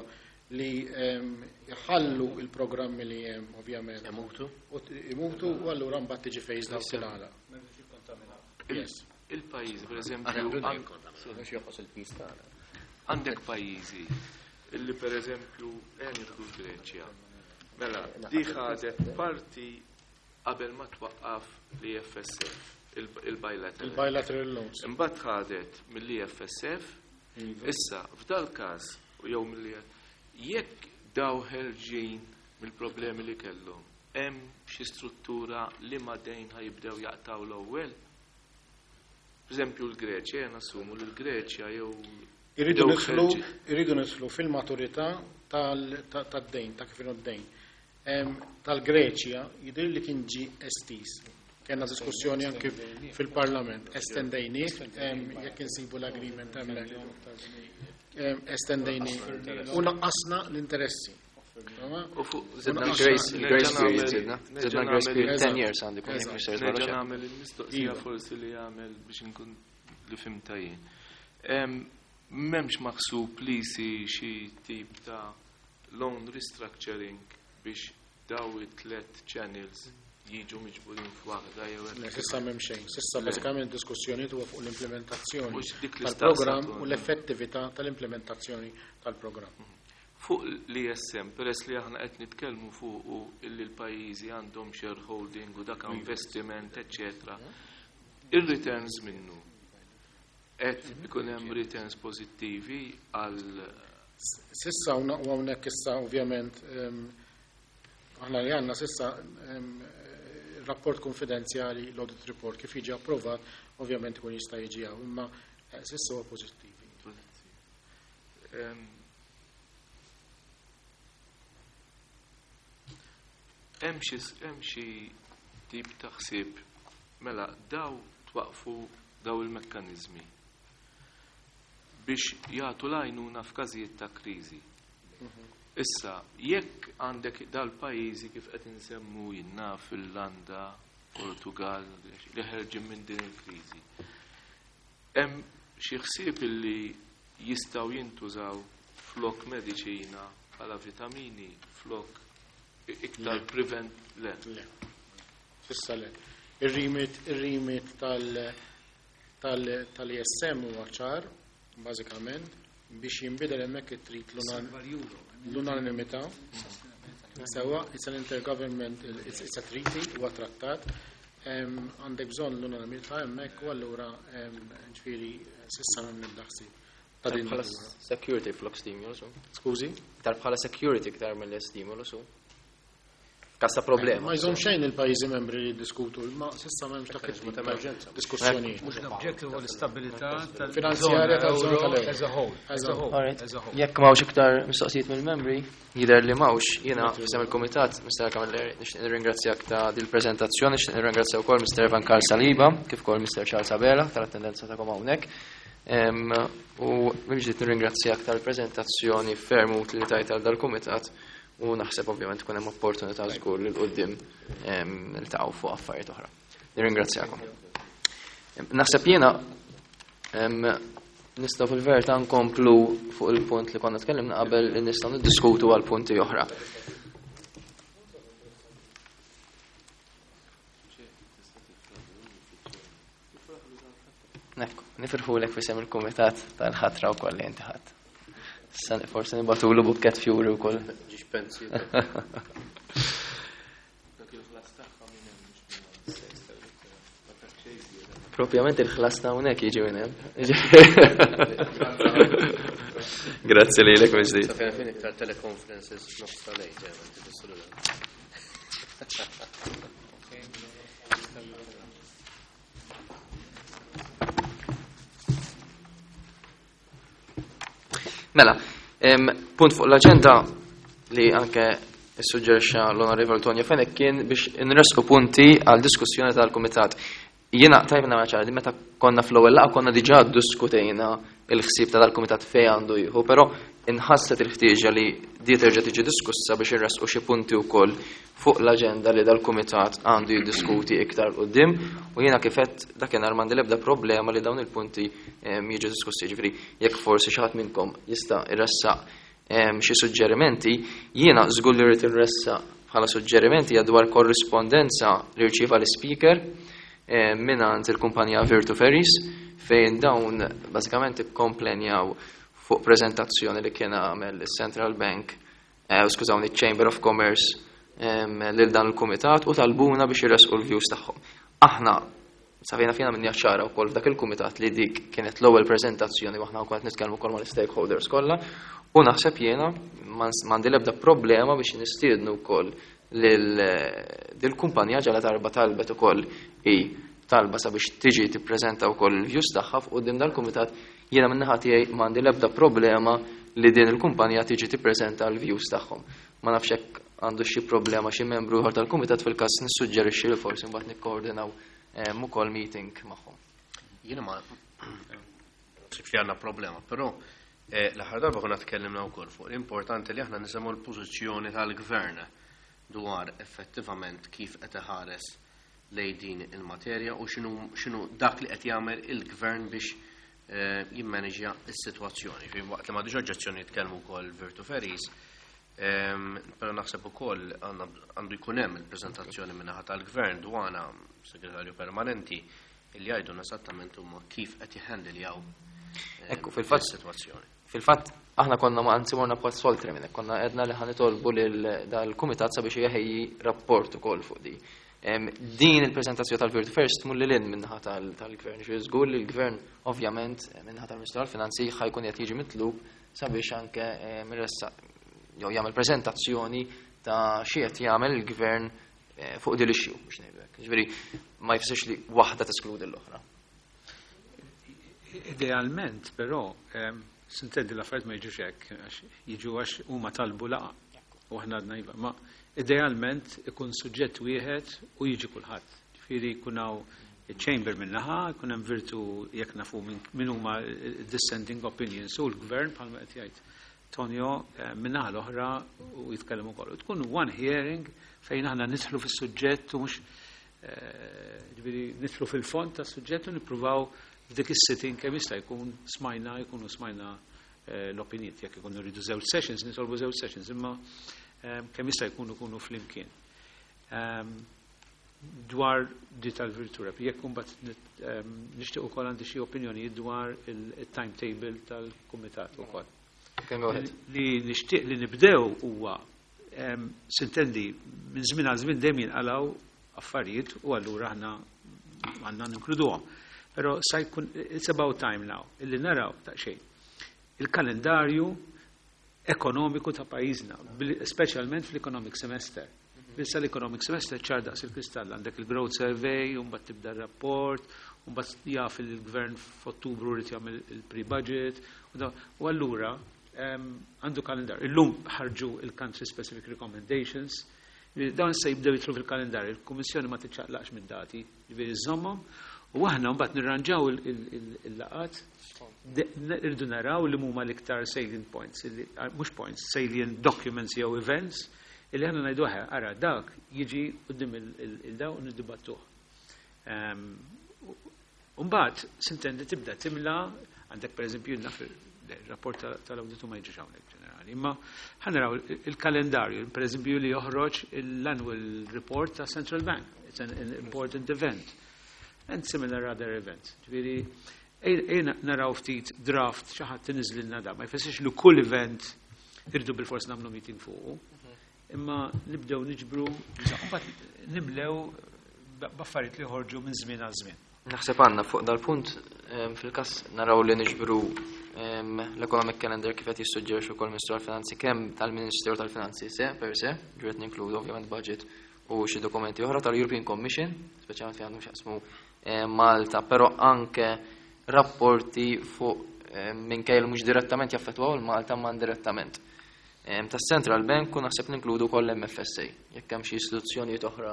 S3: li jħallu il-programmi li hemm ovvjament.
S2: Imutu?
S3: U imutu u allura mbagħad tiġi phased out tingħalaq. Yes.
S5: Il-pajjiżi, per eżempju, għandek pajjiżi illi per eżempju nieħdu l-Greċja. Mela, di ħadet parti qabel ma twaqqaf l-IFSF, il-bilateral.
S3: Il-bilateral loans.
S5: Imbagħad ħadet mill-IFSF,
S3: Iva.
S5: issa f'dal każ jew mill jekk daw ħerġin mill-problemi li kellhom, hemm xi struttura li ma dejn ħajibdew jaqtaw l-ewwel? Per eżempju l-Greċja, jien assumu li l-Greċja jew
S3: Irridu
S5: jew
S3: nidħlu
S5: ħerġin.
S3: irridu nidħlu fil-maturità tad-dejn, ta' kif inhu d-dejn. Tal-Greċja jidher li kien ġie estiż. Kellna diskussjoni anke fil-Parlament, estendejnieh, jekk insibu l-agreement hemmhekk. Estendejnieh u naqqasna l-interessi.
S5: U fuq
S1: Zidna
S3: Unaqasna-
S1: grace, il-grace
S5: Nerġa'
S1: period
S5: nagħmel-
S1: zidna.
S5: nerġa'
S1: Zidna grace
S5: nagħmel-
S1: period 10
S3: Eżatt.
S1: years għandi kun
S3: Eżatt.
S1: jekk mhux ser
S5: Nerġa'
S1: żball.
S5: nagħmel il-mistoqsija
S3: Iva.
S5: forsi li jagħmel biex inkun li fimta jien. M'hemmx maħsub li jsir xi tip ta' loan restructuring biex daw it-tlet channels jiġu miġburin f'waħda jew
S3: Le,
S5: hekk.
S3: Sissa m'hemm xejn. Sissa bażikament diskussjoni huwa fuq l-implementazzjoni
S5: Mhux dik li
S3: tal-programm
S5: staqsa
S3: u l-effettività tal-implementazzjoni tal-programm.
S5: Fuq l-ISM, peress li aħna qed nitkellmu fuq u illi l-pajjiżi għandhom shareholding u dak investiment, eccetera. Ir-returns minnu qed ikun hemm returns pożittivi għal
S3: Sissa u hawnhekk issa ovvjament aħna li għandna sissa rapport konfidenzjali, l-audit report kif jiġi approvat, ovvjament ikun jista' jiġi hawn, imma sissa huwa pożittivi.
S5: Hemm xi tip ta' ħsieb mela daw twaqfu daw il-mekkaniżmi biex jagħtu l-għajnuna f'każijiet ta' kriżi. Issa, jekk għandek dal-pajjiżi kif qed insemmu jinnna Finlanda, Portugal, li ħerġin minn din il-kriżi. Hemm xi ħsieb illi jistgħu jintużaw flok mediċina bħala vitamini, flok iktar prevent le.
S3: Le. Sissa le. Ir-remit tal-ISM huwa ċar, bażikament, biex jinbidel hemmhekk it-trid l-unanimità. Sewa, it's an intergovernment, it's a treaty, huwa trattat. Għandek bżonn l-unanimità hemmhekk u allura ġifieri sissa m'hemm nibda ħsieb ta' din
S1: Bħala
S3: natura.
S1: security flok stimulus.
S3: Skużi?
S1: Iktar bħala security iktar mill-stimulus. F'każ ta' problema.
S3: Ma jżomm xejn il-pajjiżi membri li jiddiskutu, ma sissa m'hemmx dak it-tip ta' diskussjonijiet.
S4: Mhux l-objective huwa l-istabilità
S3: Finanzjarja tal-żona tal-euro.
S4: as a whole. As a whole.
S1: Alright.
S4: As a whole.
S1: Jekk m'hawnx iktar mistoqsijiet mill-membri, jidher li m'hawnx, jiena f'isem il-kumitat, Mr. Camilleri, nixtieq nirringrazzjak ta' dil-preżentazzjoni, nixtieq nirringrazzja wkoll Mr. Evan Karl Saliba, kif ukoll Mr. Charles Abela tal-attendenza tagħkom hawnhekk. U mill-ġdid nirringrazzjak tal-preżentazzjoni ferm utli li tajt għal dal-kumitat u naħseb ovvjament tkun hemm opportunità żgur li l-qudiem niltaqgħu fuq affarijiet oħra. Nirringrazzjakom. Naħseb jiena Nistgħu fil-verità nkomplu fuq il-punt li konna tkellimna qabel li nistgħu niddiskutu għal punti oħra. Ekku, nifirħulek fisem il-kumitat tal-ħatra u koll li inti ħadd. Forsi nibatulu bukket fjuri u koll.
S2: Ġiġ pensi.
S1: Propjament il-ħlas ta' hawnhekk jiġi minn hemm. Grazzi lilek mill-ġdid.
S2: Sa fejn iktar teleconferences nofs tal-lejl,
S1: Mela, punt fuq l-aġenda li anke issuġġerixxa l-Onorevoli Tonio Fenech kien biex inresqu punti għal diskussjoni tal-Kumitat. Jiena tajb nagħmel ċara li meta konna fl-ewwel laqgħa konna diġà ddiskutejna il-ħsieb ta' dal-Kumitat fejn għandu jieħu, però inħasset il-ħtieġa li di terġa' tiġi diskussa biex irresqu xi punti wkoll fuq l-aġenda li dal-Kumitat għandu jiddiskuti iktar 'l quddiem u jiena kif għedt dakinhar m'għandi l-ebda problema li dawn il-punti jiġu diskussi. Jiġifieri jekk forsi xi ħadd minnkom jista' jressaq xi suġġerimenti, jiena żgur li rrid inressaq bħala suġġerimenti hija dwar korrispondenza li rċieva l-Ispeaker mingħand il-kumpanija Virtu Ferries fejn dawn bażikament ikkomplenjaw fuq preżentazzjoni li kien għamel is-Central Bank, skużawni, Chamber of Commerce lil dan il-kumitat u talbuna biex jressqu l-views tagħhom. Aħna safejna fina minn ċara wkoll f'dak il-kumitat li dik kienet l-ewwel preżentazzjoni u aħna wkoll qed nitkellmu wkoll mal-stakeholders kollha u naħseb jiena m'għandi l-ebda problema biex nistiednu wkoll lil dil-kumpanija ġala darba talbet ukoll hi talba sabiex tiġi tippreżenta wkoll il-views tagħha f'quddiem dal-kumitat. Jiena min-naħa tiegħi m'għandi l-ebda problema li din il-kumpanija tiġi tippreżenta l-views tagħhom. Ma nafx hekk għandu xi problema xi membru ieħor tal-kumitat, fil-każ nissuġġerixxi li forsi mbagħad nikkoordinaw ukoll meeting magħhom.
S2: Jiena ma naħsibx li għandna problema, però l-aħħar darba konna tkellimna wkoll fuq l-importanti li aħna nisimgħu l-pożizzjoni tal-gvern dwar effettivament kif qed iħares lejn din il-materja u x'inhu dak li qed jagħmel il-gvern biex jimmaneġja s-sitwazzjoni. Fi waqt li m'għandix oġġezzjoni jitkellmu wkoll Virtu Ferries, però naħseb ukoll għandu jkun hemm il-preżentazzjoni min-naħa tal-gvern dwana segretarju permanenti illi jgħidulna esattament huma kif qed jħendiljaw
S1: Ekku, fil-fatt
S2: is-sitwazzjoni.
S1: Fil-fatt aħna konna ma anzi morna pass oltre minn hekk, konna għedna li ħanitolbu lil dal-kumitat sabiex jeħejji rapport ukoll fuq di. Din il-preżentazzjoni tal-Virtu Ferries tmur lil hinn min-naħa tal-gvern. Ġifieri żgur li l-gvern ovvjament min-naħa tal-Ministru tal-Finanzi ħajkun qed jiġi mitlub sabiex anke iressaq jew jagħmel preżentazzjoni ta' xi qed jagħmel il-gvern fuq din l-issue biex ngħidu hekk. Ġifieri ma jfissirx li waħda teskludi l-oħra.
S4: Idealment, però, sintendi l-affarijiet ma jiġux hekk, għax jiġu għax huma talbu laqgħa u aħna għadna iva, ma idealment ikun suġġett wieħed u jiġi kulħadd. Ġifieri jkun hawn chamber min-naħa, jkun hemm Virtu jekk nafu min huma dissenting opinions u l-gvern bħalma qed jgħid Tonio min-naħa l-oħra u jitkellem ukoll. U tkun one hearing fejn aħna nidħlu fis-suġġett u mhux ġifieri nidħlu fil-fond tas-suġġett u nippruvaw f'dik is-sitting kemm jista' jkun smajna, jkunu smajna l-opinjiet, jekk ikunu rridu żewġ sessions, nitolbu żewġ sessions, imma kemm jista' jkun ikunu flimkien. Dwar di tal-Virtu Rep, jekk imbagħad nixtieq ukoll għandi xi opinjonijiet dwar il-timetable tal-kumitat ukoll.
S1: Okay, go ahead.
S4: Li nixtieq li nibdew huwa sintendi minn żmien għal żmien dejjem jinqalgħu affarijiet u allura aħna għandna ninkluduhom. Però sa jkun it's about time now illi naraw daqsxejn il-kalendarju ekonomiku ta' pajjiżna, speċjalment fl-economic semester. Issa l-economic semester ċar daqs il-kristall, għandek il-growth survey, u mbagħad tibda r-rapport, u mbagħad jaf il-gvern f'Ottubru rid jagħmel il-pre-budget, u allura għandu kalendar. Illum ħarġu il-country specific recommendations, dawn se jibdew jidħlu fil-kalendarju, il-Kummissjoni ma tiċċaqlaqx minn dati, ġifieri żommhom, u aħna mbagħad nirranġaw il-laqat, irridu naraw li huma l-iktar salient points, mhux points, salient documents jew events, illi aħna ngħidu aħe, ara dak jiġi quddiem il-daw u niddibattuh. Umbagħad s'intendi tibda timla għandek pereżempju naf il-rapport tal-awditu ma jiġix hawnhekk ġenerali, imma ħa naraw il-kalendarju, pereżempju li joħroġ l-annual report ta' Central Bank. It's an important event. And similar other events. Ġifieri ejja naraw ftit draft xi ħadd iniżżlilna da, ma jfissirx li kull event irridu bilfors nagħmlu meeting fuqu. Imma nibdew niġbru, mbagħad nimlew b'affarijiet li joħorġu minn żmien għal żmien.
S1: Naħseb għandna fuq dal-punt fil-każ naraw li niġbru l-economic calendar kif qed jissuġġerixxu wkoll Ministru tal-Finanzi kemm tal-Ministeru tal-Finanzi se per se, ġifieri ninkludu ovvjament budget u xi dokumenti oħra tal-European Commission, speċjalment fejn għandhom x'jaqsmu Malta, però anke rapporti fuq minkejja li mhux direttament jaffettwaw il-Malta ma indirettament. Tas-Central Bank u naħseb ninkludu wkoll l-MFSA, jekk hemm xi istituzzjonijiet oħra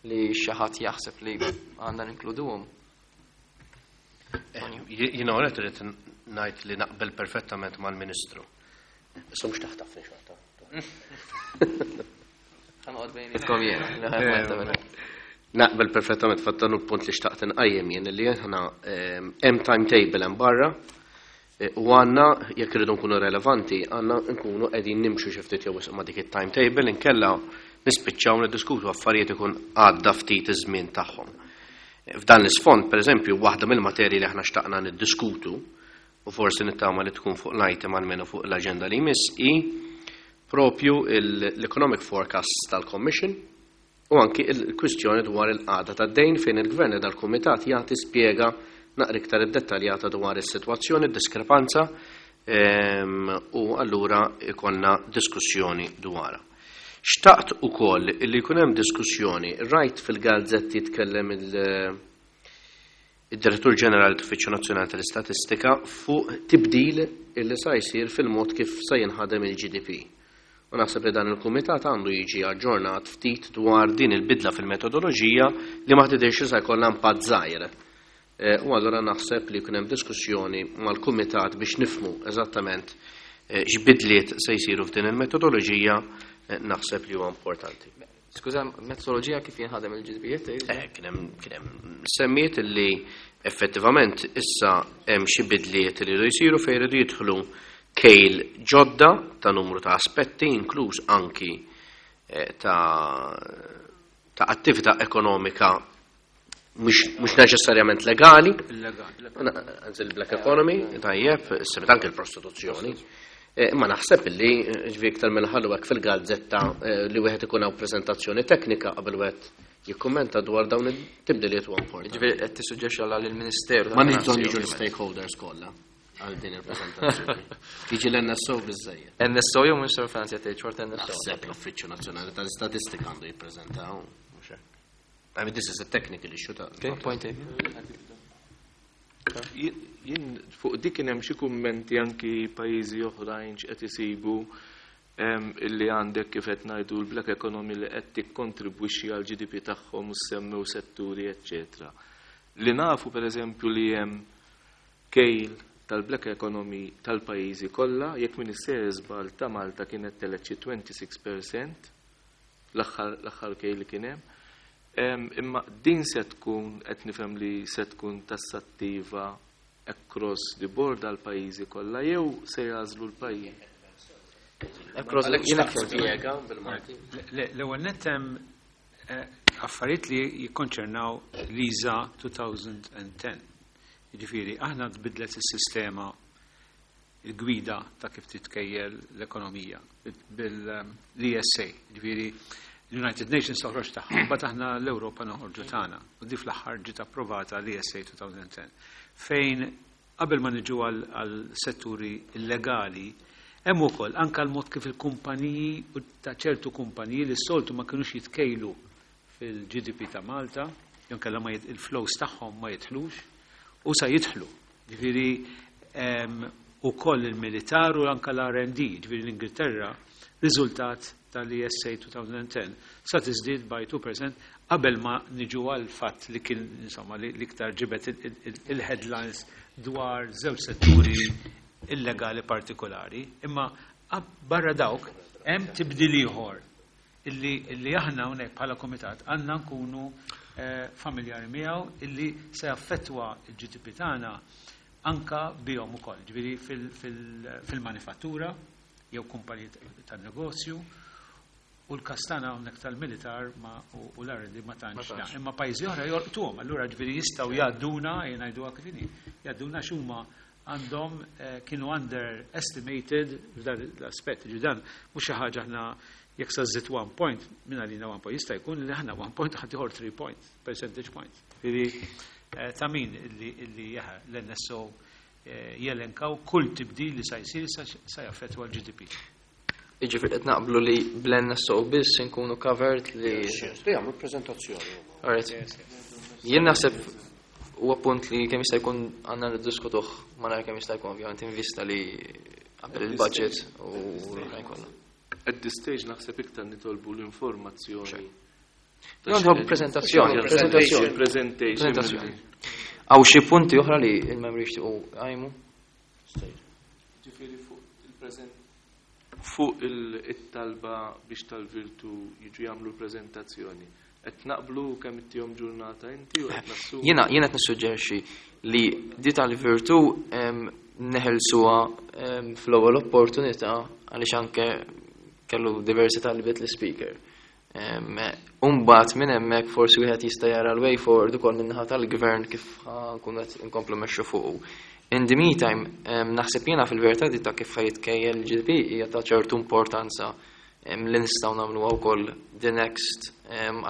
S1: li xi ħadd jaħseb li għandna ninkluduhom.
S2: Jiena għonet irrid ngħid li naqbel perfettament mal-Ministru. Issa mhux taħtafni xorta.
S1: Ħa noqgħod bejnietkom jien.
S2: Naqbel perfettament fatt dan il-punt li xtaqt inqajjem jien li aħna hemm timetable hemm barra u għandna jekk irridu nkunu relevanti għandna nkunu qegħdin nimxu xi ftit jew wisq ma' dik it-timetable inkella nispiċċaw niddiskutu affarijiet ikun għadda ftit iż-żmien tagħhom. F'dan l-isfond, pereżempju, waħda mill-materji li aħna xtaqna niddiskutu u forsi nittama li tkun fuq l-item almenu fuq l-aġenda li jmiss hi propju l-economic forecast tal-Commission u anki il-kwistjoni dwar il-qagħda tad-dejn fejn il-Gvern dal-Kumitat jagħti spjega naqra iktar iddettaljata dwar is-sitwazzjoni, diskrepanza u allura ikollna diskussjoni dwarha. Xtaqt ukoll li jkun hemm diskussjoni, rajt fil-gazzetti jitkellem il-Direttur Ġenerali tal-Uffiċċju Nazzjonali tal-Istatistika fuq tibdil illi sa jsir fil-mod kif sa jinħadem il-GDP. U naħseb li dan il-kumitat għandu jiġi aġġornat ftit dwar din il-bidla fil-metodoloġija li ma tidhirx li sa jkollha impatt żgħir. U allura naħseb li jkun hemm diskussjoni mal-kumitat biex nifhmu eżattament x'bidliet se jsiru f'din il-metodoloġija, naħseb li huwa importanti.
S1: Skuża, metodoloġija kif jinħadem il-GDP?
S2: Kien hemm semmiet li effettivament issa hemm xi bidliet li jridu jsiru fejn jridu jidħlu kejl ġodda ta' numru ta' aspetti, inkluż anki ta' attività ekonomika mhux neċessarjament legali, anzi il-black economy, tajjeb, semmit anke l-prostituzzjoni. Imma naħseb li ġvi iktar mill-ħallu hekk fil-gazzetta li wieħed ikun hawn preżentazzjoni teknika qabel wieħed jikkummenta dwar dawn it-tibdiliet huwa importanti.
S1: Ġifieri qed tissuġġerixxi għal il-Ministeru.
S2: Ma nix bżonn jiġu l-stakeholders kollha għal din il-preżentazzjoni. Jiġi l-NSO biżejjed.
S1: NSO jew Ministeru Finanzi qed tgħid xorta NSO.
S2: Naħseb l-Uffiċċju Nazzjonali tal-Istatistika għandu jippreżentaw, mhux hekk. I mean, this is a technical issue ta'
S1: Okay, point taken.
S5: Jien fuq dik kien hemm xi kummenti anki pajjiżi oħrajn x'qed isibu illi għandek kif qed ngħidu l-black economy li qed tikkontribwixxi għal GDP tagħhom u semmew setturi eċċetera. Li nafu pereżempju li hemm kejl tal-black economy tal-pajjiżi kollha, jekk m'iniex sejjer żball ta' Malta kienet telgħet xi 26% l-aħħar kejl li kien hemm. Imma din se tkun qed nifhem li se tkun tassattiva across the board għal pajjiżi kollha jew se jagħżlu l-pajjiż?
S1: Across the
S2: Jiena spjega bil-Malti.
S4: L-ewwel nett hemm affarijiet li jikkonċernaw l-ISA 2010. Jiġifieri aħna tbidlet is-sistema il-gwida ta' kif titkejjel l-ekonomija bil-ESA. Jiġifieri l-United Nations toħroġ tagħha, mbagħad aħna l-Ewropa noħorġu tagħna. U di fl-aħħar ġiet approvata l-ESA 2010. Fejn qabel ma niġu għal setturi illegali, hemm ukoll anke l-mod kif il-kumpaniji u ta' ċertu kumpaniji li s-soltu ma kinux jitkejlu fil-GDP ta' Malta, jew kellha ma il-flows tagħhom ma jidħlux, u sa jidħlu. Ġifieri ukoll il-militar u anke l-R&D, ġifieri l-Ingilterra, riżultat tal-ESA 2010 sa tiżdied by 2% qabel ma niġu għal fatt li kien insomma li l-iktar ġibet il-headlines dwar żewġ setturi illegali partikolari, imma barra dawk hemm tibdil ieħor illi aħna hawnhekk bħala komitat għandna nkunu Familjari miegħu illi se jaffettwa l-GDP tagħna anka bihom ukoll, ġifieri fil-manifattura jew kumpaniji tan-negozju u l-każ tagħna hawnhekk tal-militar ma u l-R&D ma tantx. Imma pajjiżi oħra jolqtuhom, allura ġifieri jistgħu jgħadduna, jgħiduha kif inhi, jgħadduna x'huma għandhom kienu underestimated f'dan l-aspett. Ġifieri dan mhux xi ħaġa aħna jekk sa żżid 1 point, minn għalina 1 point, jista' jkun li aħna 1 point ħadd ieħor 3 point, percentage point. Ġifieri ta' min illi l-NSO jelenkaw kull tibdil li sa jsir sa jaffettwa l-GDP.
S1: Jiġifieri qed naqblu li bl-NSO biss inkunu covered li.
S2: Li jagħmlu preżentazzjoni.
S1: Alright. Jien naħseb huwa punt li kemm jista' jkun għandna niddiskutuh malajr kemm jista' jkun, ovvjament in vista li qabel il-budget u l-oħrajn kollha.
S5: At this stage naħseb iktar nitolbu l-informazzjoni.
S1: Nitolbu prezentazzjoni, prezentazzjoni.
S5: Presentation.
S1: Prezentazzjoni. Hawn xi punti oħra li l-membri jixtiequ jqajmu?
S5: Ġifieri fuq il-preżent fuq il-talba biex tal-Virtu jiġu jagħmlu l-preżentazzjoni. Qed naqblu kemm ittihom ġurnata inti u qed nassumu.
S1: Jiena qed nissuġġerixxi li di tal-Virtu neħelsuha fl-ewwel opportunità għaliex anke kellu diversi talbiet l-speaker. Umbagħad minn hemmhekk forsi wieħed jista' jara l-way forward ukoll min-naħa tal-gvern kif nkunu qed inkomplu mmexxu fuqu. In the meantime, naħseb jiena fil-verità di ta' kif ħa jitkejjel il-GDP hija ta' ċertu importanza li nistgħu nagħmluha wkoll the next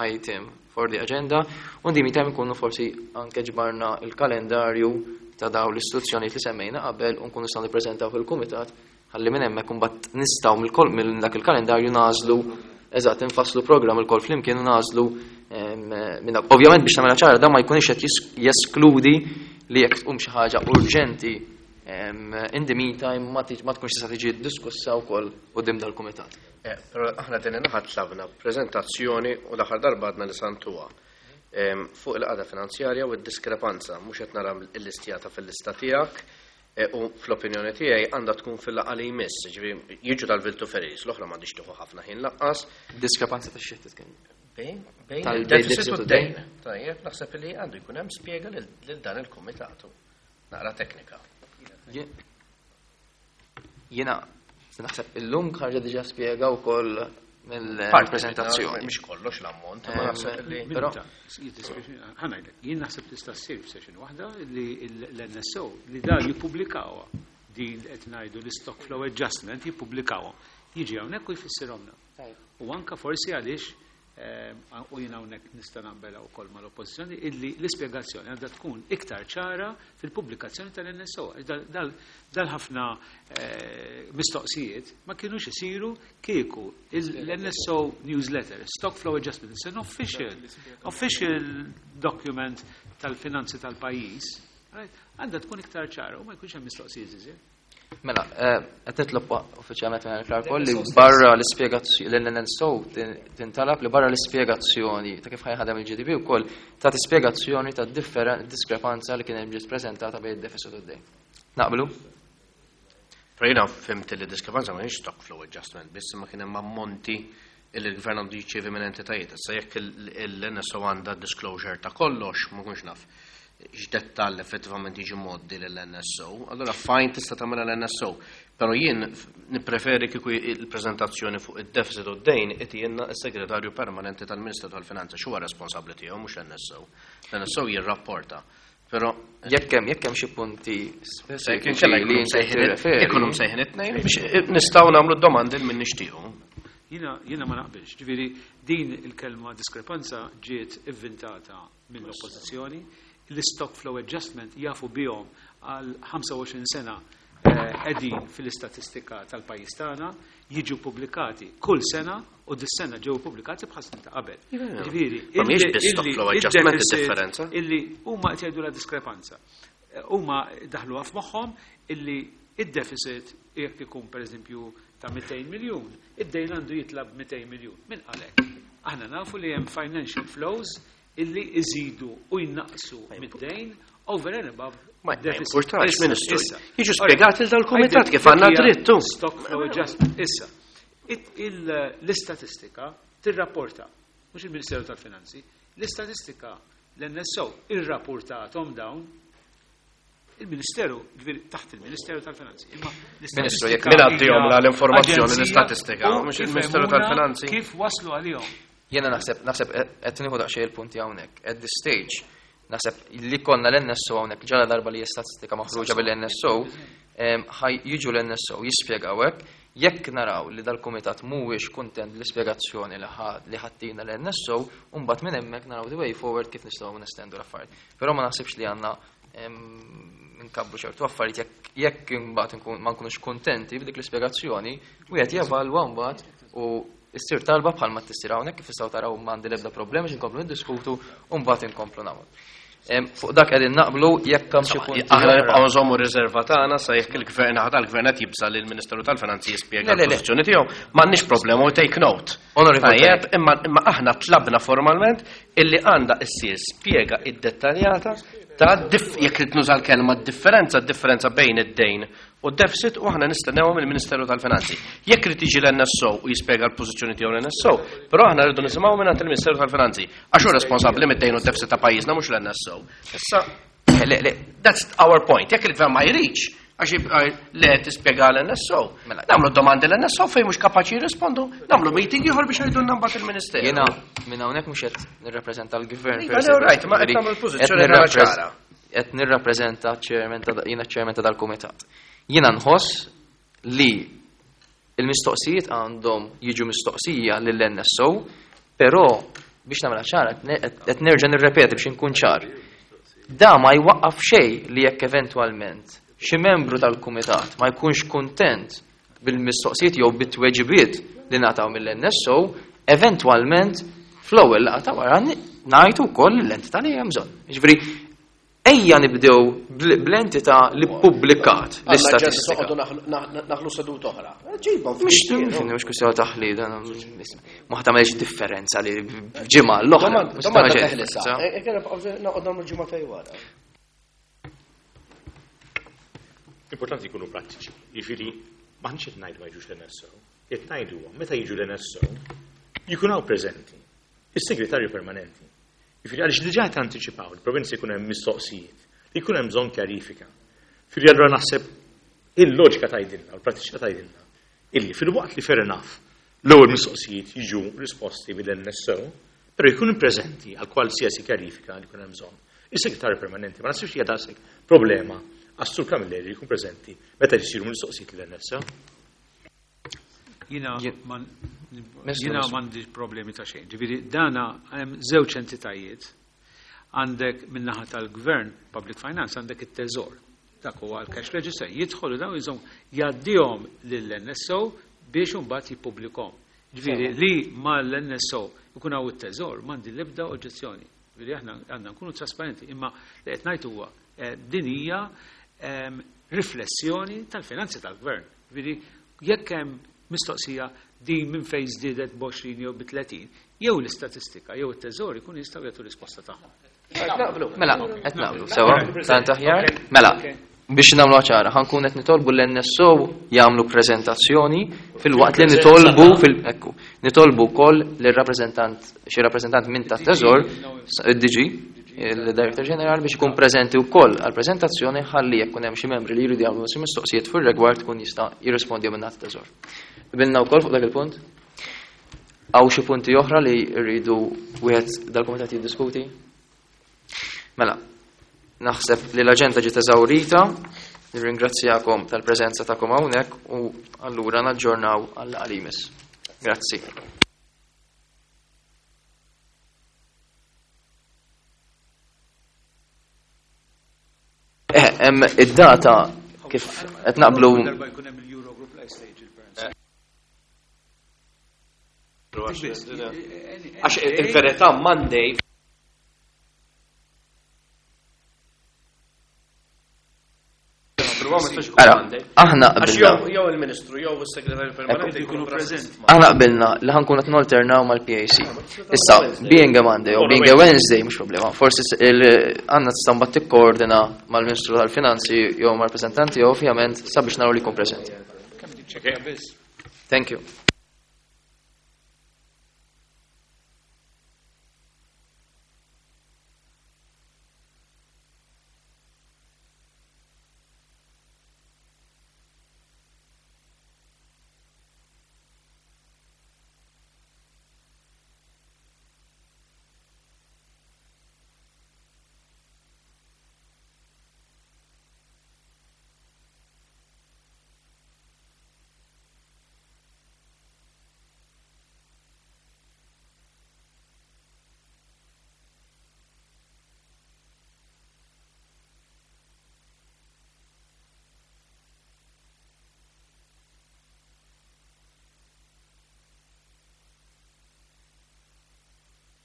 S1: item for the agenda. U in the meantime nkunu forsi anke ġbarna il-kalendarju ta' dawn l-istituzzjonijiet li semmejna qabel u nkunu nistgħu nippreżentaw fil-kumitat ħalli minn hemmhekk imbagħad nistgħu mill dak il-kalendarju nagħżlu eżatt infasslu programm ilkoll flimkien u nagħżlu minn dak. Ovvjament biex nagħmilha ċara dan ma jkunx qed jeskludi li jekk tqum xi ħaġa urġenti in the meantime ma tkunx tista' tiġi diskussa wkoll quddiem dal-kumitat.
S2: Però aħna din naħa tlabna preżentazzjoni u l-aħħar darba għadna li santuha fuq il-qagħda finanzjarja u d-diskrepanza, mhux qed nara l-listjata fil-lista tiegħek u fl-opinjoni tiegħi għandha tkun fil-laqgħa li jmiss, ġifieri jiġu tal-Virtu Ferries, l-oħra m'għandix tieħu ħafna ħin laqqas.
S1: Diskrepanza ta' xi titkellem?
S2: Bejn
S1: Tal-deficit
S2: il-deficit
S1: u
S2: u
S1: d-dejn.
S2: d-dejn. Tajjeb, naħseb li għandu jkun hemm spjega lil dan il-kumitatu. Naqra teknika.
S1: Jiena naħseb illum ħarġa diġà spjega wkoll mill-prezentazzjoni.
S2: Mhix kollox l-ammont, ma naħseb li
S1: Però
S4: Ħa ngħidlek, jien naħseb tista' ssir f'session waħda li l-NSO li dan jippubblikawha din qed ngħidu l-stock flow adjustment jippubblikawha. Jiġi hawnhekk u jfissirhomna. U anka forsi għaliex u jien hawnhekk nista' naqbel wkoll mal-oppożizzjoni illi l-ispjegazzjoni għandha tkun iktar ċara fil-pubblikazzjoni tal-NSO. Dal ħafna mistoqsijiet ma kienux isiru kieku l-NSO newsletter, Stock Flow Adjustment, it's an official document tal-finanzi tal-pajjiż, right? Għandha tkun iktar ċara u ma jkunx hemm mistoqsijiet iżjed.
S1: Mela, qed nitlob uffiċjalment minn il li barra l-ispjegazzjoni l-NSO tintalab li barra l-ispjegazzjoni ta' kif ħa jaħdem il-GDP wkoll ta' spjegazzjoni ta' diskrepanza li kien hemm ġiet preżentata bejn id-deficit u d-dejn. Naqblu?
S2: Però jiena fhimt li diskrepanza ma kienx stock flow adjustment, biss ma kien hemm ammonti illi l-gvern għandu jiċċievi minn entitajiet. Issa jekk l-NSO għandha disclosure ta' kollox, ma kunx naf x'dettall effettivament jiġi moddi lill-NSO, allora fine tista' tagħmilha l-NSO. Però jien nippreferi kieku il-preżentazzjoni fuq id-deficit u d-dejn itijielna s-segretarju permanenti tal-Ministru tal-Finanza x'huwa responsabbli tiegħu mhux l-NSO. L-NSO jirrapporta. Però
S1: Jekk hemm xi punti speċifiċi li inti tirreferi.
S2: Ikunu msejħin it-tnejn biex nistgħu nagħmlu domandi minn nixtiequ.
S4: Jiena ma naqbilx, ġifieri din il-kelma diskrepanza ġiet inventata mill-oppożizzjoni, l-stock flow adjustment jafu bihom għal 25 sena qegħdin fil-istatistika tal-pajjiż tagħna, jiġu pubblikati kull sena u dis-sena ġew pubblikati bħal snin ta' qabel. Ġifieri,
S2: Ma mhijiex biss stock flow adjustment id-differenza.
S4: Illi huma qed jgħidu la diskrepanza. Huma daħluha f'moħħhom illi id-deficit jekk ikun pereżempju ta' 200 miljun, id-dejn għandu jitlab 200 miljun. Min qalek? Aħna nafu li hemm financial flows illi iżidu u jnaqsu mid-dejn over and above
S2: Ma
S4: deficit.
S2: importax,
S4: Issa,
S2: Ministru.
S4: issa.
S2: Jiġu spjegati
S4: Alright.
S2: dal-kumitat kif għandna
S4: Dik hija
S2: drittu.
S4: Stock flow adjustment. Issa, l-istatistika tirrapporta, mhux il-Ministeru tal-Finanzi, L-istatistika l-NSO irrapportathom dawn il-Ministeru, ġifieri taħt il-Ministeru tal-Finanzi. Imma
S2: Ministru, jekk min għaddihom l-informazzjoni l-istatistika, mhux il-Ministeru tal-Finanzi.
S4: Kif waslu għalihom?
S1: Jiena naħseb naħseb qed nieħu daqsxejn il-punti hawnhekk. At this stage, naħseb li konna l-NSO hawnhekk ġala darba li statistika maħruġa bil-NSO, ħaj jiġu l-NSO jispjegaw hekk, jekk naraw li dal-kumitat mhuwiex kuntent bl-ispjegazzjoni li ħattina l-NSO, u mbagħad minn hemmhekk naraw the way forward kif nistgħu nestendu l-affarijiet. Però ma naħsibx li għandna nkabru ċertu affarijiet jekk imbagħad ma nkunux kuntenti b'dik l-ispjegazzjoni, wieħed jevalwa mbagħad u issir talba bħalma tissir hawnhekk kif tistgħu taraw m'għandi l-ebda problema biex inkomplu niddiskutu u mbagħad inkomplu nagħmlu. Fuq dak qegħdin naqblu jekk hemm xi punti.
S2: Aħna nibqgħu nżommu riserva tagħna sa jekk il-gvern naħa tal-gvern qed jibża' li l-Ministeru tal-Finanzi jispjega l-pożizzjoni tiegħu. M'għandniex problema u take note. Tajjeb, imma aħna tlabna formalment illi għandha issir spjega iddettaljata ta' jekk trid nuża l-kelma differenza, differenza bejn id-dejn u d-deficit u aħna nistennewha mill-Ministeru tal-Finanzi. Jekk irid jiġi l-NSO u jispjega l-pożizzjoni tiegħu l-NSO, però aħna rridu nisimgħu mingħand il-Ministeru tal-Finanzi għax hu responsabbli mid-dejn u d-deficit ta' pajjiżna mhux l-NSO. Issa,
S1: Le, le.
S2: That's our point. Jekk il-gvern ma jridx, għax le tispjega l-NSO.
S1: Mela.
S2: Nagħmlu domandi l-NSO fejn mhux kapaċi jirrispondu, nagħmlu meeting ieħor biex jgħidulna mbagħad il-Ministeru.
S1: Jiena minn hawnhekk mhux qed nirrappreżenta l-gvern.
S2: Iva, le, right, ma qed nagħmlu l-pożizzjoni tagħna ċara.
S1: Qed nirrappreżenta chairman ta' jiena chairman ta' dal-kumitat. Jiena nħoss li il-mistoqsijiet għandhom jiġu mistoqsija lill-NSO, però biex nagħmilha ċara, qed nerġa' nirrepeti biex inkun ċar. Da ma jwaqqaf xejn li jekk eventwalment xi membru tal-kumitat ma jkunx kuntent bil-mistoqsijiet jew bit-tweġibiet li ngħataw mill-NSO, eventwalment fl-ewwel laqgħa ta' wara ngħidu wkoll l-entità li hemm bżonn. Jiġifieri ejja nibdew bl-entità li ppubblikat l-istatistika.
S2: Naħlu seduta oħra. Ġibhom
S1: Mhux mhux kwistjoni taħlid, ma tagħmelx differenza li ġimgħa l-oħra. Mhux
S2: Domanda
S1: tagħmel
S2: teħlisa.
S1: differenza.
S2: Noqgħod nagħmlu ġimgħa tej wara.
S6: Importanti jkunu prattiċi. Jiġifieri m'aħniex qed ngħidu ma jiġux l-NSO, qed ngħidu huwa meta jiġu l-NSO jkun hawn preżenti is-segretarju permanenti. Jiġifieri għaliex diġà qed anticipaw li provinzi jkun hemm mistoqsijiet li jkun hemm bżonn kjarifika. Jiġifieri allura naħseb il-loġika tgħidilna, u l-prattiċità tgħidilna illi fil-waqt li fair enough l-ewwel mistoqsijiet jiġu risposti mill-NSO, però jkunu preżenti għal qualsiasi kjarifika li jkun hemm bżonn. Is-segretarju permanenti ma nasibx li hija daqshekk problema għas-Sur Camilleri jkun preżenti meta jsiru mistoqsijiet lill-NSO.
S4: Jiena
S1: Ministru,
S4: jiena
S1: Ministru.
S4: m'għandix problemi ta' xejn. Ġifieri dana hemm żewġ entitajiet. Għandek min-naħa tal-gvern, public finance, għandek it-teżor. Dak huwa l-cash register. Jidħolu dawn jżomm jgħaddihom lill-NSO biex imbagħad jippubblikhom. Ġifieri li mal-NSO ikun hawn it-teżor m'għandi l-ebda oġġezzjoni. Ġifieri aħna għandna nkunu trasparenti, imma li qed ngħid huwa din hija riflessjoni tal-finanzi tal-gvern. Ġifieri jekk hemm mistoqsija din minn fejn żdiedet b'20 jew b'30, jew l-istatistika jew it-teżor ikun jistgħu jagħtu risposta tagħhom.
S1: Mela, qed naqblu sewa, tant aħjar. Mela, biex nagħmlu ċara, ħankun qed nitolbu l-NSO jagħmlu preżentazzjoni fil-waqt li nitolbu fil ekku, nitolbu wkoll lir-rappreżentant xi rappreżentant minn tat-teżor, id-DG, il-Director General biex ikun preżenti wkoll għall-preżentazzjoni ħalli jekk hemm xi membri li jridu jagħmlu xi mistoqsijiet fir-rigward tkun jista' jirrispondi minn tat-teżor. Qbilna wkoll fuq dak il-punt? Hawn xi punti oħra li rridu wieħed dal-kumitat jiddiskuti? Mela, naħseb li l-aġenda ġiet eżawrita, nirringrazzjakom tal-preżenza tagħkom hawnhekk u allura naġġornaw għal-laqgħa Grazzi. Hemm id-data kif qed naqblu
S4: Darba jkun hemm il-Eurogroup life stage il-parents.
S2: Għax il-verità Monday
S1: Ara, aħna
S2: Għax
S1: qbilna.
S2: jew il-Ministru jew is-Segretarju Permanenti jkunu preżenti.
S1: Aħna qbilna li ħankun qed nalternaw mal-PAC. Issa, being a Monday u being a Wednesday mhux problema. Forsi għandna tista' mbagħad tikkoordina mal-Ministru tal-Finanzi jew mal-rappreżentanti jew ovvjament sabiex naraw li jkun preżenti.
S4: Kemm tiċċekkja biss.
S1: Thank you.